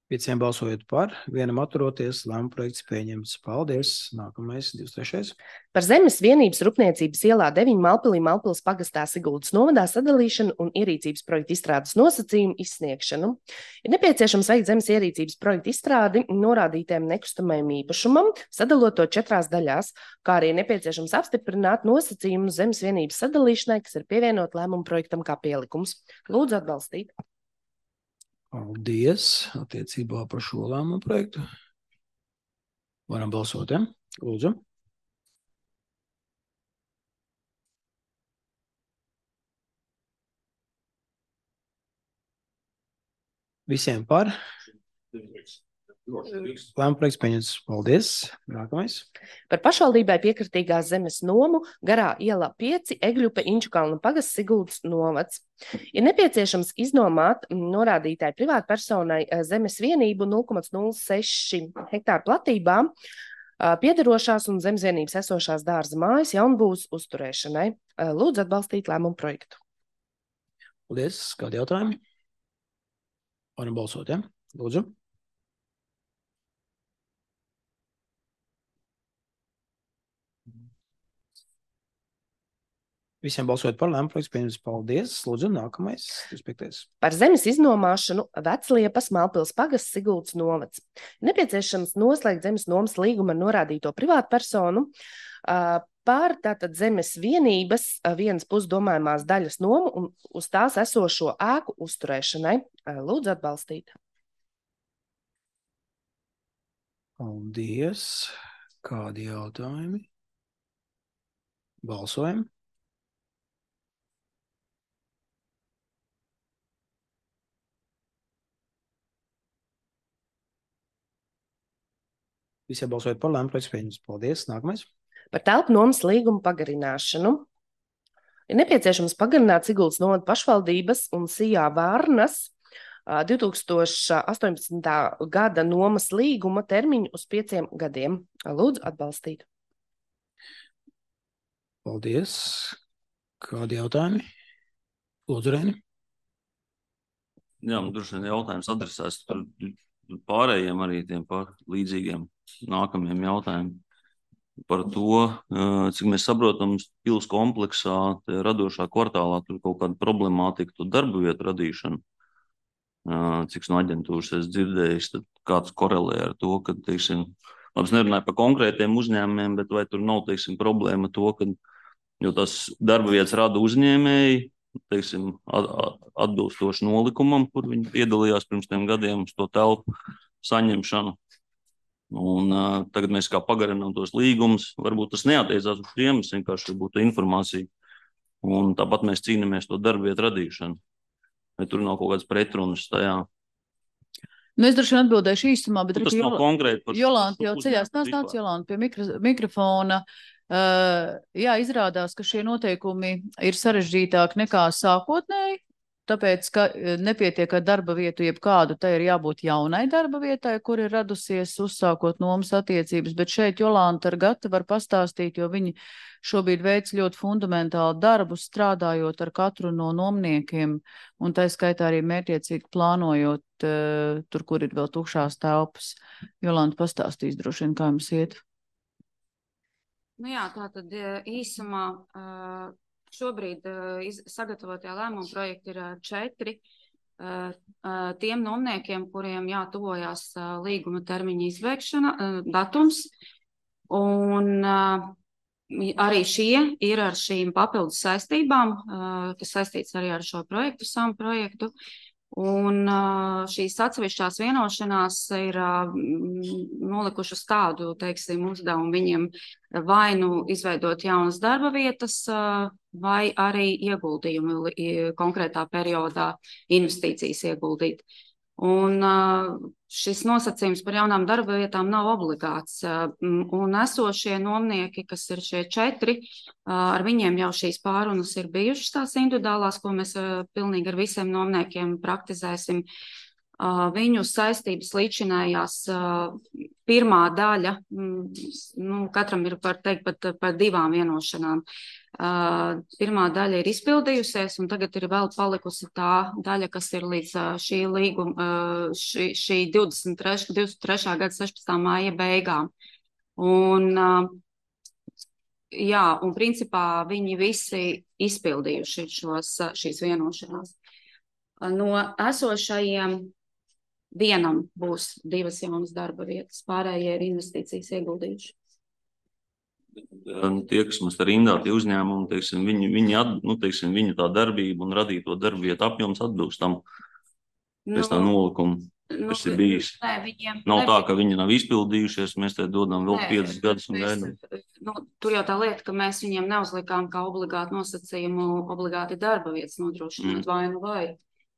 Pieciem balsojot par, vienam atturoties, lēmuma projekts pieņemts. Paldies. Nākamais, divdesmit trešais. Par Zemes vienības rūpniecības ielā deviņi Malpilī Malpils pagastā Siguldas novadā sadalīšanu un ierīcības projektu izstrādes nosacījumu izsniegšanu. Ir nepieciešams veikt zemes ierīcības projektu izstrādi norādītiem nekustamajam īpašumam, sadalot to četrās daļās, kā arī nepieciešams apstiprināt nosacījumu zemes vienības sadalīšanai, kas ir pievienot lēmumu projektam kā pielikums. Lūdzu atbalstīt. Paldies attiecībā par šo lēmumu projektu. Varam balsot, ja? Lūdzu. Visiem par. Lēmuma projekts pieņemts. Paldies. Nākamais. Par pašvaldībai piekritīgās zemes nomu garā ielā pieci Egļupe Inčukalna pagasts Siguldas novads. Ir nepieciešams iznomāt norādītāji privātpersonai zemes vienību nulle komats nulle seši hektāru platībā piederošās un zemes vienības esošās dārza mājas jaunbūves uzturēšanai. Lūdzu atbalstīt lēmumu projektu. Paldies. Kādi jautājumi? Varam balsot, ja? Lūdzu. Visiem balsojot par lēmumu projekts pieņemts. Paldies. Lūdzu, nākamais. divdesmit piektais. Par zemes iznomāšanu Vecliepas Malpils pagasts Siguldas novads. Nepieciešams noslēgt zemes nomas līgumu ar norādīto privātpersonu par tātad zemes vienības vienas pusdomājumās daļas nomu un uz tās esošo ēku uzturēšanai. Lūdzu atbalstīt. Paldies. Kādi jautājumi? Balsojam. Visiem balsojot par lēmumu projekts pieņemts. Paldies. Nākamais. Par telpu nomas līgumu pagarināšanu. Ir nepieciešams pagarināt Siguldas novada pašvaldības un Sijā Vārnas divi tūkstoši astoņpadsmitā gada nomas līguma termiņu uz pieciem gadiem. Lūdzu atbalstīt. Paldies. Kādi jautājumi? Lūdzu, Rēni. Jā, man droši vien jautājums adresēs par pārējiem arī tiem par līdzīgiem nākamajiem jautājumiem. Par to, cik mēs saprotam, pils kompleksā, radošā kvartālā, tur kaut kāda problemātika, to darba vietu radīšanu. Cik no aģentūras es dzirdējis, tad kāds korelē ar to, ka, teiksim, labs nerunāju par konkrētiem uzņēmumiem, bet vai tur nav, teiksim, problēma to, ka, jo tas darba vietas rada uzņēmēji, teiksim, atbilstoši nolikumam, kur viņi piedalījās pirms tiem gadiem uz to telpu saņemšanu. Un uh, tagad mēs kā pagarinām tos līgumus, varbūt tas neattiecās uz tiem, es vienkārši būtu informācija. Un tāpat mēs cīnāmies to darba vietu radīšanu. Vai tur nav kaut kāds pretrunas tajā? Nu, es droši vien atbildēšu īstumā, bet... Tas nav konkrēti par... Jolanta jau ceļās, nāc, nāc, Jolanta, pie mikro, mikrofona. Uh, jā, izrādās, ka šie noteikumi ir sarežģītāki nekā sākotnēji, tāpēc, ka nepietiek ar darba vietu jebkādu, tai ir jābūt jaunai darba vietai, kur ir radusies uzsākot nomas attiecības, bet šeit Jolanta ar Gati var pastāstīt, jo viņi šobrīd veic ļoti fundamentālu darbu, strādājot ar katru no nomniekiem, un tā skaitā arī mērķiecīgi plānojot uh, tur, kur ir vēl tukšās telpas. Jolanta pastāstīs droši vien, kā jums iet. Nu jā, tā tad īsumā uh, šobrīd uh, iz, sagatavotajā lēmuma projekta ir uh, četri uh, uh, tiem nomniekiem, kuriem jātuvojās uh, līguma termiņa izbeigšana, uh, datums, un uh, arī šie ir ar šīm papildus saistībām, uh, kas saistīts arī ar šo projektu, samu projektu. Un šīs atsevišķās vienošanās ir nolikušas tādu, teiksim, uzdevumu viņiem vai nu izveidot jaunas darba vietas, vai arī ieguldījumu konkrētā periodā investīcijas ieguldīt. Un šis nosacījums par jaunām darba vietām nav obligāts. Un esošie nomnieki, kas ir šie četri, ar viņiem jau šīs pārunas ir bijušas tās individuālās, ko mēs pilnīgi ar visiem nomniekiem praktizēsim. Viņu saistības līdzinājās pirmā daļa, nu, katram ir par teikt pat par divām vienošanām. Pirmā daļa ir izpildījusies, un tagad ir vēl palikusi tā daļa, kas ir līdz šī līguma, šī, šī divdesmit trešā gada sešpadsmitā māja beigām. Un, jā, un principā viņi visi izpildījuši šos, šīs vienošanās. No esošajiem vienam būs divas jaunas darba vietas, pārējie ir investīcijas ieguldījuši. Tie, kas mums ar rindā, tie uzņēmumi, teiksim, viņi, viņi, at, nu, teiksim, viņa tā darbība un radīto darba vietu apjoms atbilst tam pēc tā nolikumu, kas nu, ir bijis. Nē, viņiem, nav ne, tā, ka viņi nav izpildījušies, mēs te dodam vēl nē, piecus gadus un gaidām. Nu, tur jau tā lieta, ka mēs viņiem neuzlikām kā obligāti nosacījumu obligāti darba vietas nodrošināt mm. vai nu vai.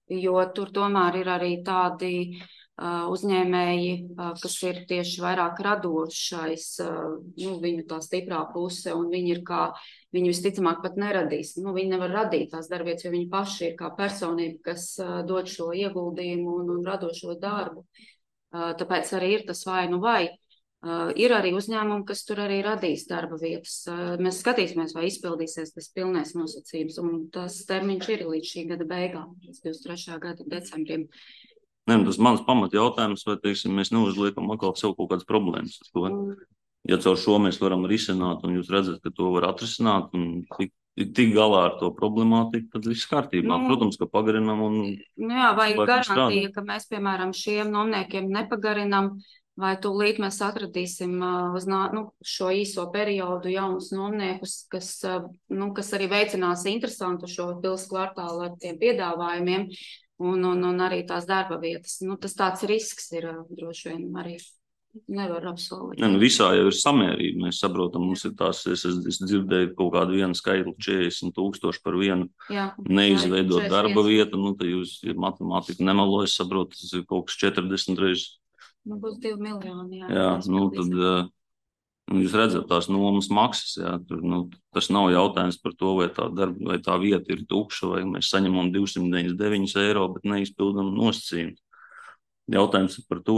Jo tur tomēr ir arī tādi uh, uzņēmēji, uh, kas ir tieši vairāk radošais, uh, nu, viņu tā stiprā puse, un viņi ir kā, viņi visticamāk pat neradīs. Nu, viņi nevar radīt tās darbvietas, jo viņi paši ir kā personība, kas uh, dod šo ieguldījumu un, un radošo darbu. Uh, tāpēc arī ir tas vai nu vai. Uh, ir arī uzņēmumi, kas tur arī radīs darba vietas. Uh, mēs skatīsimies, vai izpildīsies tas pilnais nosacījums, un tas termiņš ir līdz šī gada beigām, līdz divdesmit trešā gada decembrim. Ne, tas mans pamat jautājums, vai, teiksim, mēs neuzliekam atkal sev kaut kādas problēmas. To. Ja caur šo mēs varam risināt, un jūs redzat, ka to var atrisināt, un tik, tik galā ar to problemātiku, tad viss kārtībā. Nu, protams, ka pagarinam un... Nu jā, vai garantija, ka mēs, piemēram, šiem nomniekiem nepagarinam, vai tūlīt mēs atradīsim uh, uz nu, šo īso periodu jaunus nomniekus, kas, uh, nu, kas arī veicinās interesantu šo pils kvartālu ar tiem piedāvājumiem un, un, un arī tās darba vietas. Nu, tas tāds risks ir uh, droši vien arī nevar apsolīt. Ne, nu, visā jau ir samērība. Mēs saprotam, mums ir tās, es, es dzirdēju kaut kādu vienu skaitli četrdesmit tūkstoši par vienu jā, neizveidot jā, darba vietu. Nu, tad jūs, ja matemātika nemelo, es saprotu, tas ir kaut kas četrdesmit reizes. Nu, būs divi miljoni, jā. Jā, nu, tad nu, jūs redzat tās nomas maksas, jā. Tur, nu, tas nav jautājums par to, vai tā darba, vai tā vieta ir tukša, vai mēs saņemam divsimt deviņdesmit deviņus eiro, bet neizpildam nosacījumus. Jautājums ir par to.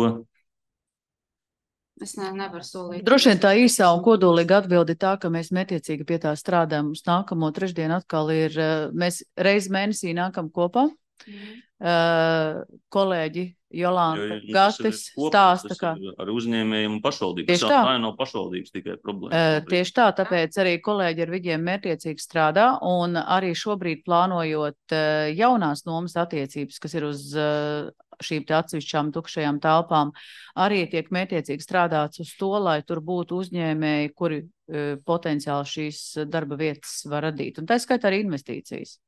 Es ne, nevaru solīt. Droši vien tā īsā un kodolīga atbildi tā, ka mēs metiecīgi pie tā strādājam. Mums nākamo trešdienu atkal ir, mēs reiz mēnesī nākam kopā. Mm. Uh, kolēģi Jolanta Gatis stāsta, ka ar uzņēmējiem un pašvaldības. Tieši tā. Tā nav pašvaldības tikai problēma. Uh, tieši tā, tāpēc arī kolēģi ar viņiem mērķiecīgi strādā un arī šobrīd plānojot uh, jaunās nomas attiecības, kas ir uz uh, šīm te atsevišķām tukšajām telpām, arī tiek mērķiecīgi strādāts uz to, lai tur būtu uzņēmēji, kuri uh, potenciāli šīs darba vietas var radīt. Un tā skaitā arī investīcijas.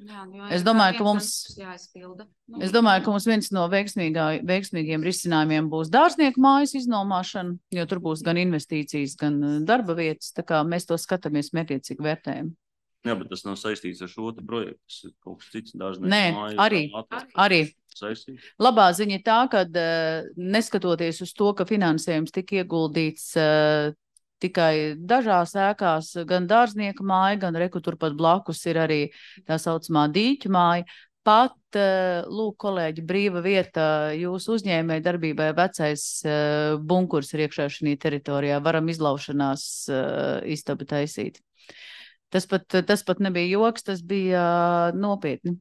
Jā, es domāju, ka mums, jāizpilda. Es domāju, ka mums viens no veiksmīgiem risinājumiem būs dārznieku mājas iznomāšana, jo tur būs gan investīcijas, gan darba vietas, tā kā mēs to skatāmies mērķiecīgi vērtējam. Jā, bet tas nav saistīts ar šo te projektu, tas ir kaut kas cits dārznieku Nē, mājas. Arī, arī. Saistīts. Labā ziņa tā, ka neskatoties uz to, ka finansējums tika ieguldīts tikai dažās ēkās, gan dārznieka māja, gan reku turpat blakus ir arī tā saucamā dīķu māja. Pat, lūk, kolēģi, brīva vieta jūsu uzņēmēja darbībai vecais bunkurs ir iekšā šī teritorijā. Varam izlaušanās istabu taisīt. Tas pat, tas pat nebija joks, tas bija nopietni.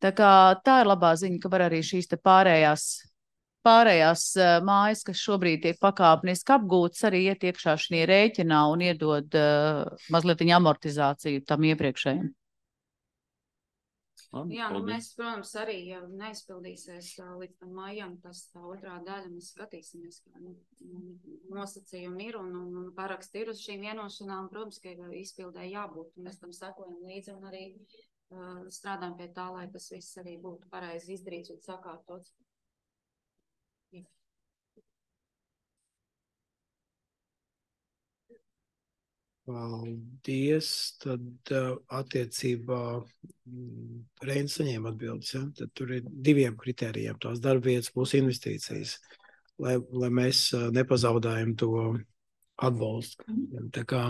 Tā kā tā ir labā ziņa, ka var arī šīs te pārējās Pārējās uh, mājas, kas šobrīd tiek pakāpeniski apgūtas, arī iet iekšā šī rēķinā un iedod uh, mazliet amortizāciju tam iepriekšējiem. Jā, nu mēs, protams, arī, ja neizpildīsies uh, līdz tam mājām, tas tā otrā daļa, mēs skatīsimies, kā nu, nosacījumi ir un, un, un paraksti ir uz šīm vienošanām. Protams, ka izpildē jābūt, un mēs tam sekojam līdzi un arī uh, strādājam pie tā, lai tas viss arī būtu pareizi izdarīts un sakārtots. Paldies. Tad uh, attiecībā Reinis saņēma atbildes. Ja? Tad tur ir diviem kritērijiem. Tās darbvietas plus investīcijas, lai, lai mēs uh, nepazaudējam to atbalstu. Tā kā,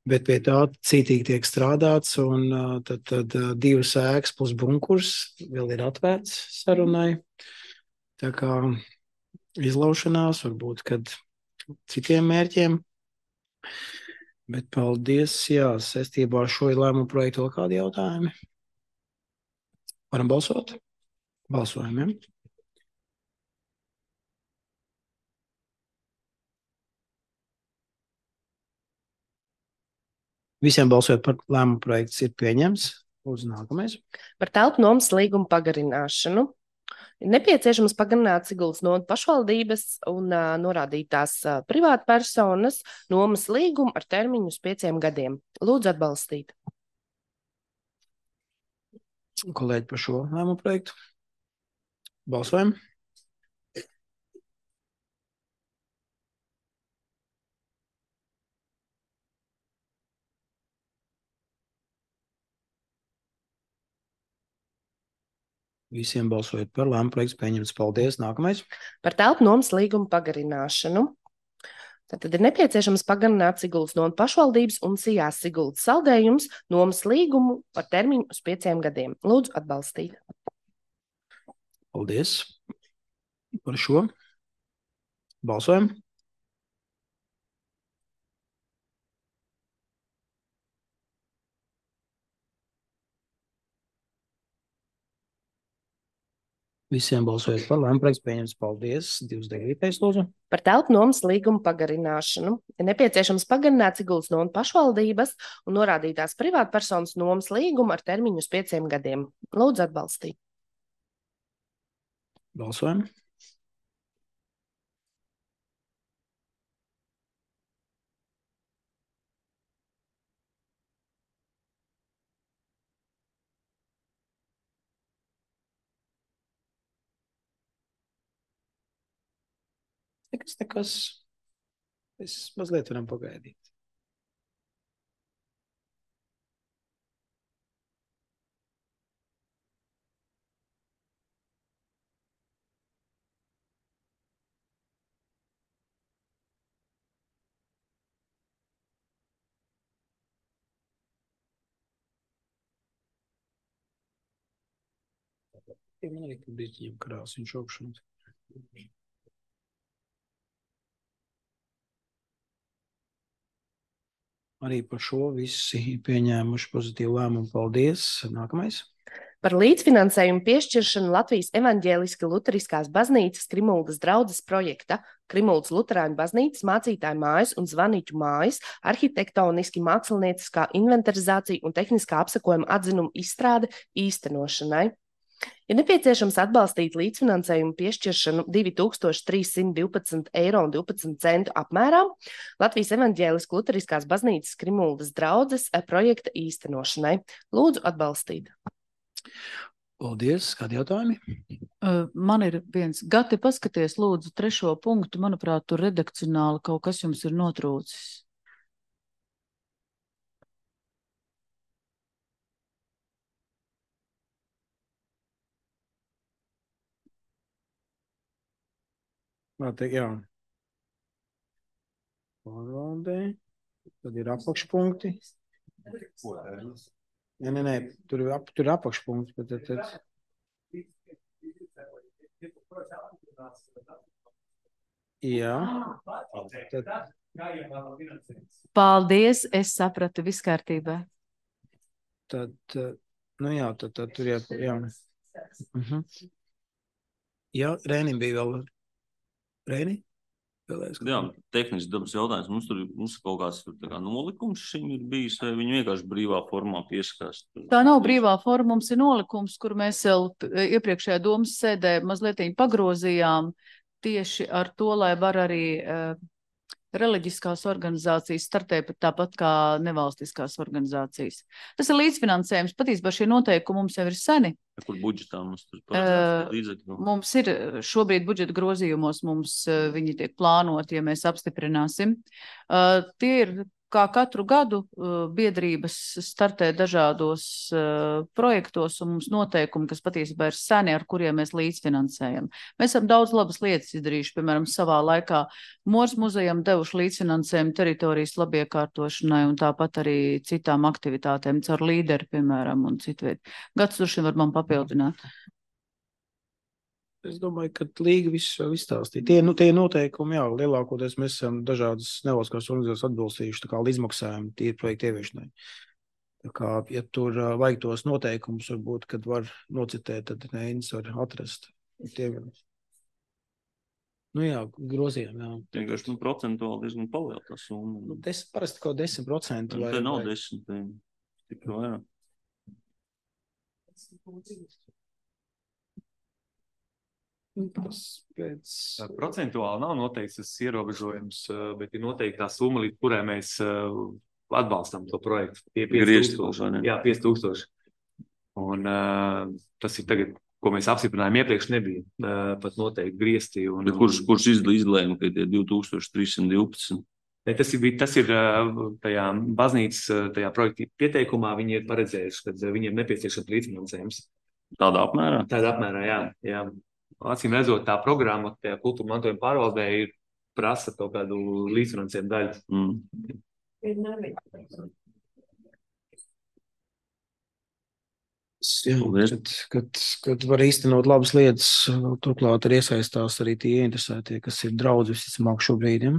bet pie tā cītīgi tiek strādāts, un uh, tad, tad uh, divas ēkas plus bunkurs vēl ir atvērts sarunai. Tā kā izlaušanās, varbūt, kad citiem mērķiem. Bet paldies, jā, saistībā ar šo lēmumu projektu vēl kādi jautājumi? Varam balsot? Balsojam, ja? Visiem balsojot par lēmumu projekts ir pieņems. Lūdzu, nākamais. Par telpu nomas līgumu pagarināšanu. Ir nepieciešams pagarināt Siguldas novada pašvaldības un uh, norādītās uh, privātpersonas nomas līgumu ar termiņu uz pieciem gadiem. Lūdzu atbalstīt. Kolēģi par šo lēmumu projektu. Balsojam. Visiem balsojot par lēmumu projektu pieņemts. Paldies. Nākamais. Par telpu nomas līgumu pagarināšanu. Tad ir nepieciešams pagarināt Siguldas novada pašvaldības un Sijās Siguldas saldējums nomas līgumu ar termiņu uz pieciem gadiem. Lūdzu atbalstīt. Paldies par šo. Balsojam. Visiem balsojot par lēmumu projektu pieņemts. Paldies. divdesmit devītais lūdzu. Par telpu nomas līgumu pagarināšanu. Ir nepieciešams pagarināt Siguldas novada pašvaldības un norādītās privātpersonas nomas līgumu ar termiņu uz pieciem gadiem. Lūdzu atbalstīt. Balsojam. Nekas, nekas. Mēs mazliet varam pagaidīt. Man arī brīķiem karās viņš augšanas. Arī par šo visi pieņēmuši pozitīvu lēmumu. Paldies. Nākamais. Par līdzfinansējumu piešķiršanu Latvijas evaņģēliski luteriskās baznīcas Krimuldas draudzes projekta Krimuldas luterāņu baznīcas mācītāju mājas un zvanīķu mājas arhitektoniski mākslinieciskā inventarizācija un tehniskā apsakojuma atzinuma izstrāde īstenošanai. Ir nepieciešams atbalstīt līdzfinansējumu piešķiršanu divi tūkstoši trīs simti divpadsmit eiro un divpadsmit centu apmērā Latvijas evaņģēliski luteriskās baznīcas Krimuldas draudzes projekta īstenošanai. Lūdzu atbalstīt. Paldies. Kādi jautājumi? Uh, Man ir viens. Gati, paskaties, lūdzu, trešo punktu. Manuprāt, tur redakcionāli kaut kas jums ir notrūcis. Te, jā. Pārvaldē. Tad ir apakšpunkti. Nē, nē, nē. Tur ir, ap, tur ir apakšpunkti. Bet tad, tad... Jā. Tad... Paldies, es sapratu, viss kārtībā. Tad, nu jā, tad, tad tur jā. Jā. Uh-huh. Jā, Rēnim bija vēl. Reini? Vēlēs, Jā, tehniski dabas jautājums. Mums tur mums kaut kāds tur tā kā nolikums šim ir bijis, vai viņi vienkārši brīvā formā pieskās? Tā nav brīvā forma, mums ir nolikums, kur mēs vēl iepriekšējā domas sēdē mazliet pagrozījām tieši ar to, lai var arī uh, reliģiskās organizācijas startē pat tāpat kā nevalstiskās organizācijas. Tas ir līdzfinansējums. Patiesībā šie noteikumi mums jau ir seni. Kur budžetā mums tur paredzēts līdzekļu? Mums ir šobrīd budžeta grozījumos, mums uh, viņi tiek plānoti, ja mēs apstiprināsim. Uh, tie ir kā katru gadu uh, biedrības startē dažādos uh, projektos un mums noteikumi, kas patiesībā ir seni, ar kuriem mēs līdzfinansējam. Mēs esam daudz labas lietas izdarījuši, piemēram, savā laikā Mors muzejam devuši līdzfinansējumu teritorijas labiekārtošanai un tāpat arī citām aktivitātēm, caur līderi, piemēram, un citviet. Gads droši var man papildināt. Es domāju, ka līga viss jau izstāstīja. Tie, nu, tie noteikumi, jā, lielākoties mēs esam dažādas nevalstiskās organizācijas atbilstījuši, tā kā līdzmaksājumi tie projekti ieviešanai. Tā kā, ja tur uh, vajag tos noteikumus, varbūt, kad var nocitēt, tad Neinis var atrast. Tie, nu jā, grozījumi, jā. Vienkārši, nu, procentuāli diezgan paliela tā summa. Nu, des, parasti kaut desmit procenti. Te nav desmit, tikai vairāk. Tas pēc... Procentuāli nav noteikts tas ierobežojums, bet ir noteikti tā summa, līdz kurai mēs atbalstam to projektu. Tie pieci tūkstoši. Jā, pieci tūkstoši. Un uh, tas ir tagad, ko mēs apstiprinājām iepriekš, nebija uh, pat noteikti griezti. Un, bet kurš, kurš izlēma, ka tie divi tūkstoši trīs simt divpadsmit? Ne, tas ir, tas ir tajā baznīcas, tajā projekta pieteikumā, viņi ir paredzējuši, ka viņiem ir nepieciešams līdzfinansējums. Tādā apmērā? Tādā apmērā, jā. jā. Acīm redzot, tā programma, tajā kultūra mantojuma pārvaldē ir prasa kaut kādu līdzfinansējumu daļu. Mm. Jā, kad, kad, kad var īstenot labas lietas, turklāt arī iesaistās arī tie interesētie, kas ir draudzi visticamāk šobrīd. Ja?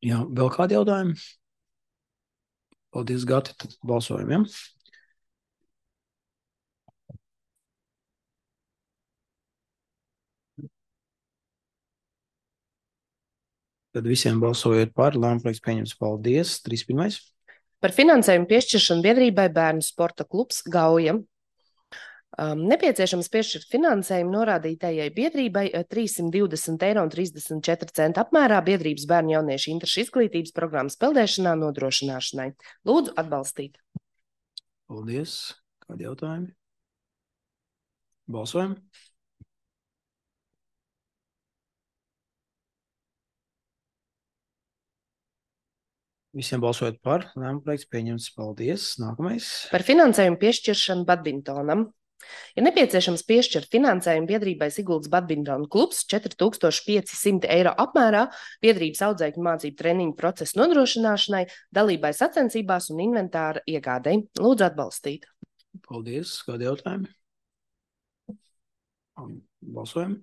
Jā, vēl kādi jautājumi? Paldies, Gati, tad balsojam, ja? Tad visiem balsojot par, lēmumprojekts pieņems. Paldies. trīs pirmais. Par finansējumu piešķiršanu biedrībai Bērnu sporta klubs Gauja. Um, nepieciešams piešķirt finansējumu norādītajai biedrībai trīssimt divdesmit eiro un trīsdesmit četri centi apmērā biedrības bērnu jauniešu interešu izglītības programmas peldēšanā nodrošināšanai. Lūdzu atbalstīt. Paldies. Kādi jautājumi? Balsojam. Visiem balsojot par, lēmumprojekts pieņemts. Paldies. Nākamais. Par finansējumu piešķiršanu badmintonam. Ir nepieciešams piešķirt finansējumu biedrībai Siguldas badmintona klubs četri tūkstoši pieci simti eiro apmērā biedrības audzēkņu mācību treniņu procesu nodrošināšanai, dalībai sacensībās un inventāra iegādei. Lūdzu atbalstīt. Paldies. Kādi jautājumi? Balsojam.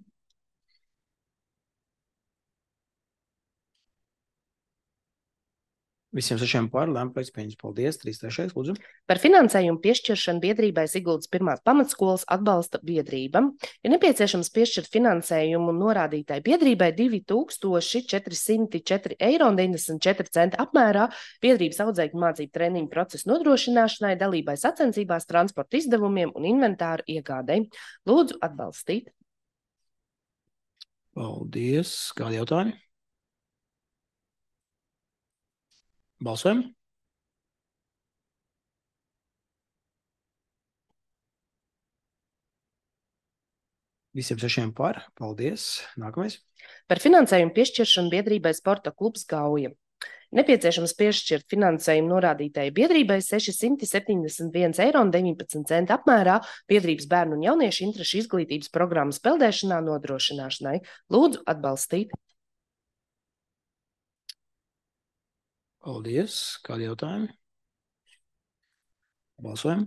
Visiem sešiem par, lēmumprojekts pieņems. Paldies. trīs trešais, lūdzu. Par finansējumu piešķiršanu biedrībai Siguldas pirmās pamatskolas atbalsta biedrība. Ir nepieciešams piešķirt finansējumu norādītai biedrībai divi tūkstoši četri simti četri eiro un deviņdesmit četri centi apmērā biedrības audzēkņu mācību treniņu procesu nodrošināšanai, dalībai sacensībās, transporta izdevumiem un inventāru iegādei. Lūdzu atbalstīt. Paldies. Kādi jautājumi? Balsojam. Visiem sešiem par. Paldies. Nākamais. Par finansējumu piešķiršanu biedrībai Sporta klubs Gauja. Nepieciešams piešķirt finansējumu norādītajai biedrībai seši septiņdesmit viens eiro un deviņpadsmit centi apmērā biedrības bērnu un jauniešu interešu izglītības programmas peldēšanā nodrošināšanai. Lūdzu atbalstīt. Paldies. Kādi jautājumi? Balsojam.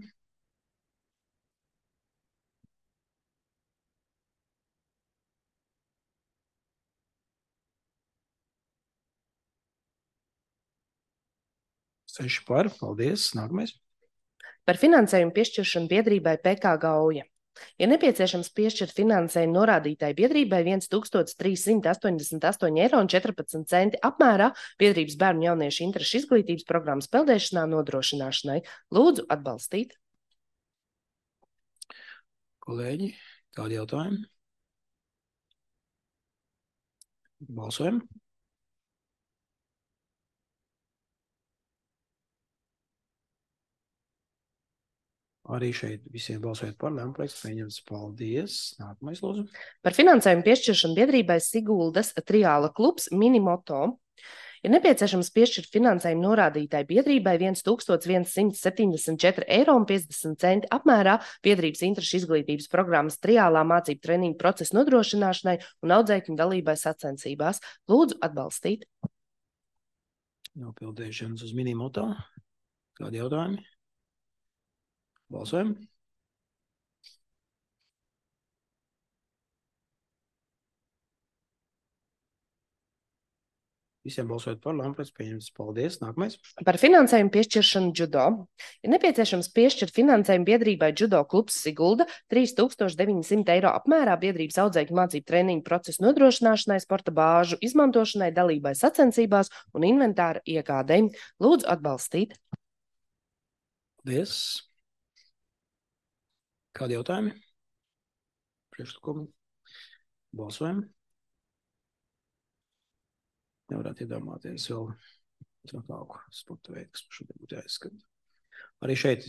Seši par. Paldies. Nākamais. Par finansējumu piešķiršanu biedrībai P K Gauja. Ir nepieciešams piešķirt finansējumu norādītāji biedrībai viens tūkstotis trīs simti astoņdesmit astoņi eiro un četrpadsmit centi apmērā biedrības bērnu jauniešu interešu izglītības programmas peldēšanā nodrošināšanai. Lūdzu atbalstīt. Kolēģi, kādi jautājumi? Balsojam. Arī šeit visiem balsojot par, lēmumprojekts pieņemts. Paldies. Nākamais, lūdzu. Par finansējumu piešķiršanu biedrībai Siguldas triāla klubs Minimoto. Ir nepieciešams piešķirt finansējumu norādītāji biedrībai viens tūkstotis viens simts septiņdesmit četri eiro un piecdesmit centi apmērā biedrības interešu izglītības programmas triālā mācību treniņu procesu nodrošināšanai un audzēkņu dalībai sacensībās. Lūdzu atbalstīt. Nopildīšanas uz Minimoto. Kādi jautājumi? Balsojam. Visiem balsojot par, lēmums pieņemts. Paldies. Nākamais. Par finansējumu piešķiršanu judo. Ir nepieciešams piešķirt finansējumu biedrībai Judo klubs Sigulda trīs tūkstoši deviņi simti eiro apmērā biedrības audzēkņu mācību treniņu procesu nodrošināšanai, sporta bāžu izmantošanai, dalībai sacensībās un inventāra iegādei. Lūdzu atbalstīt. Paldies. Kādi jautājumi? Priekšlikumi? Balsojam. Nevarētu iedomāties vēl trakāku sporta veidu, kas šodien būtu jāizskata. Arī šeit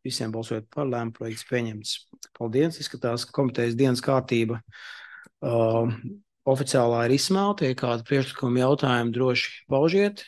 visiem balsojot par, lēmuma projekts pieņemts. Paldies. Izskatās, ka komitejas dienas kārtība uh, oficiālā ir izsmelta. Ja kādi priekšlikumi jautājumi droši paužiet.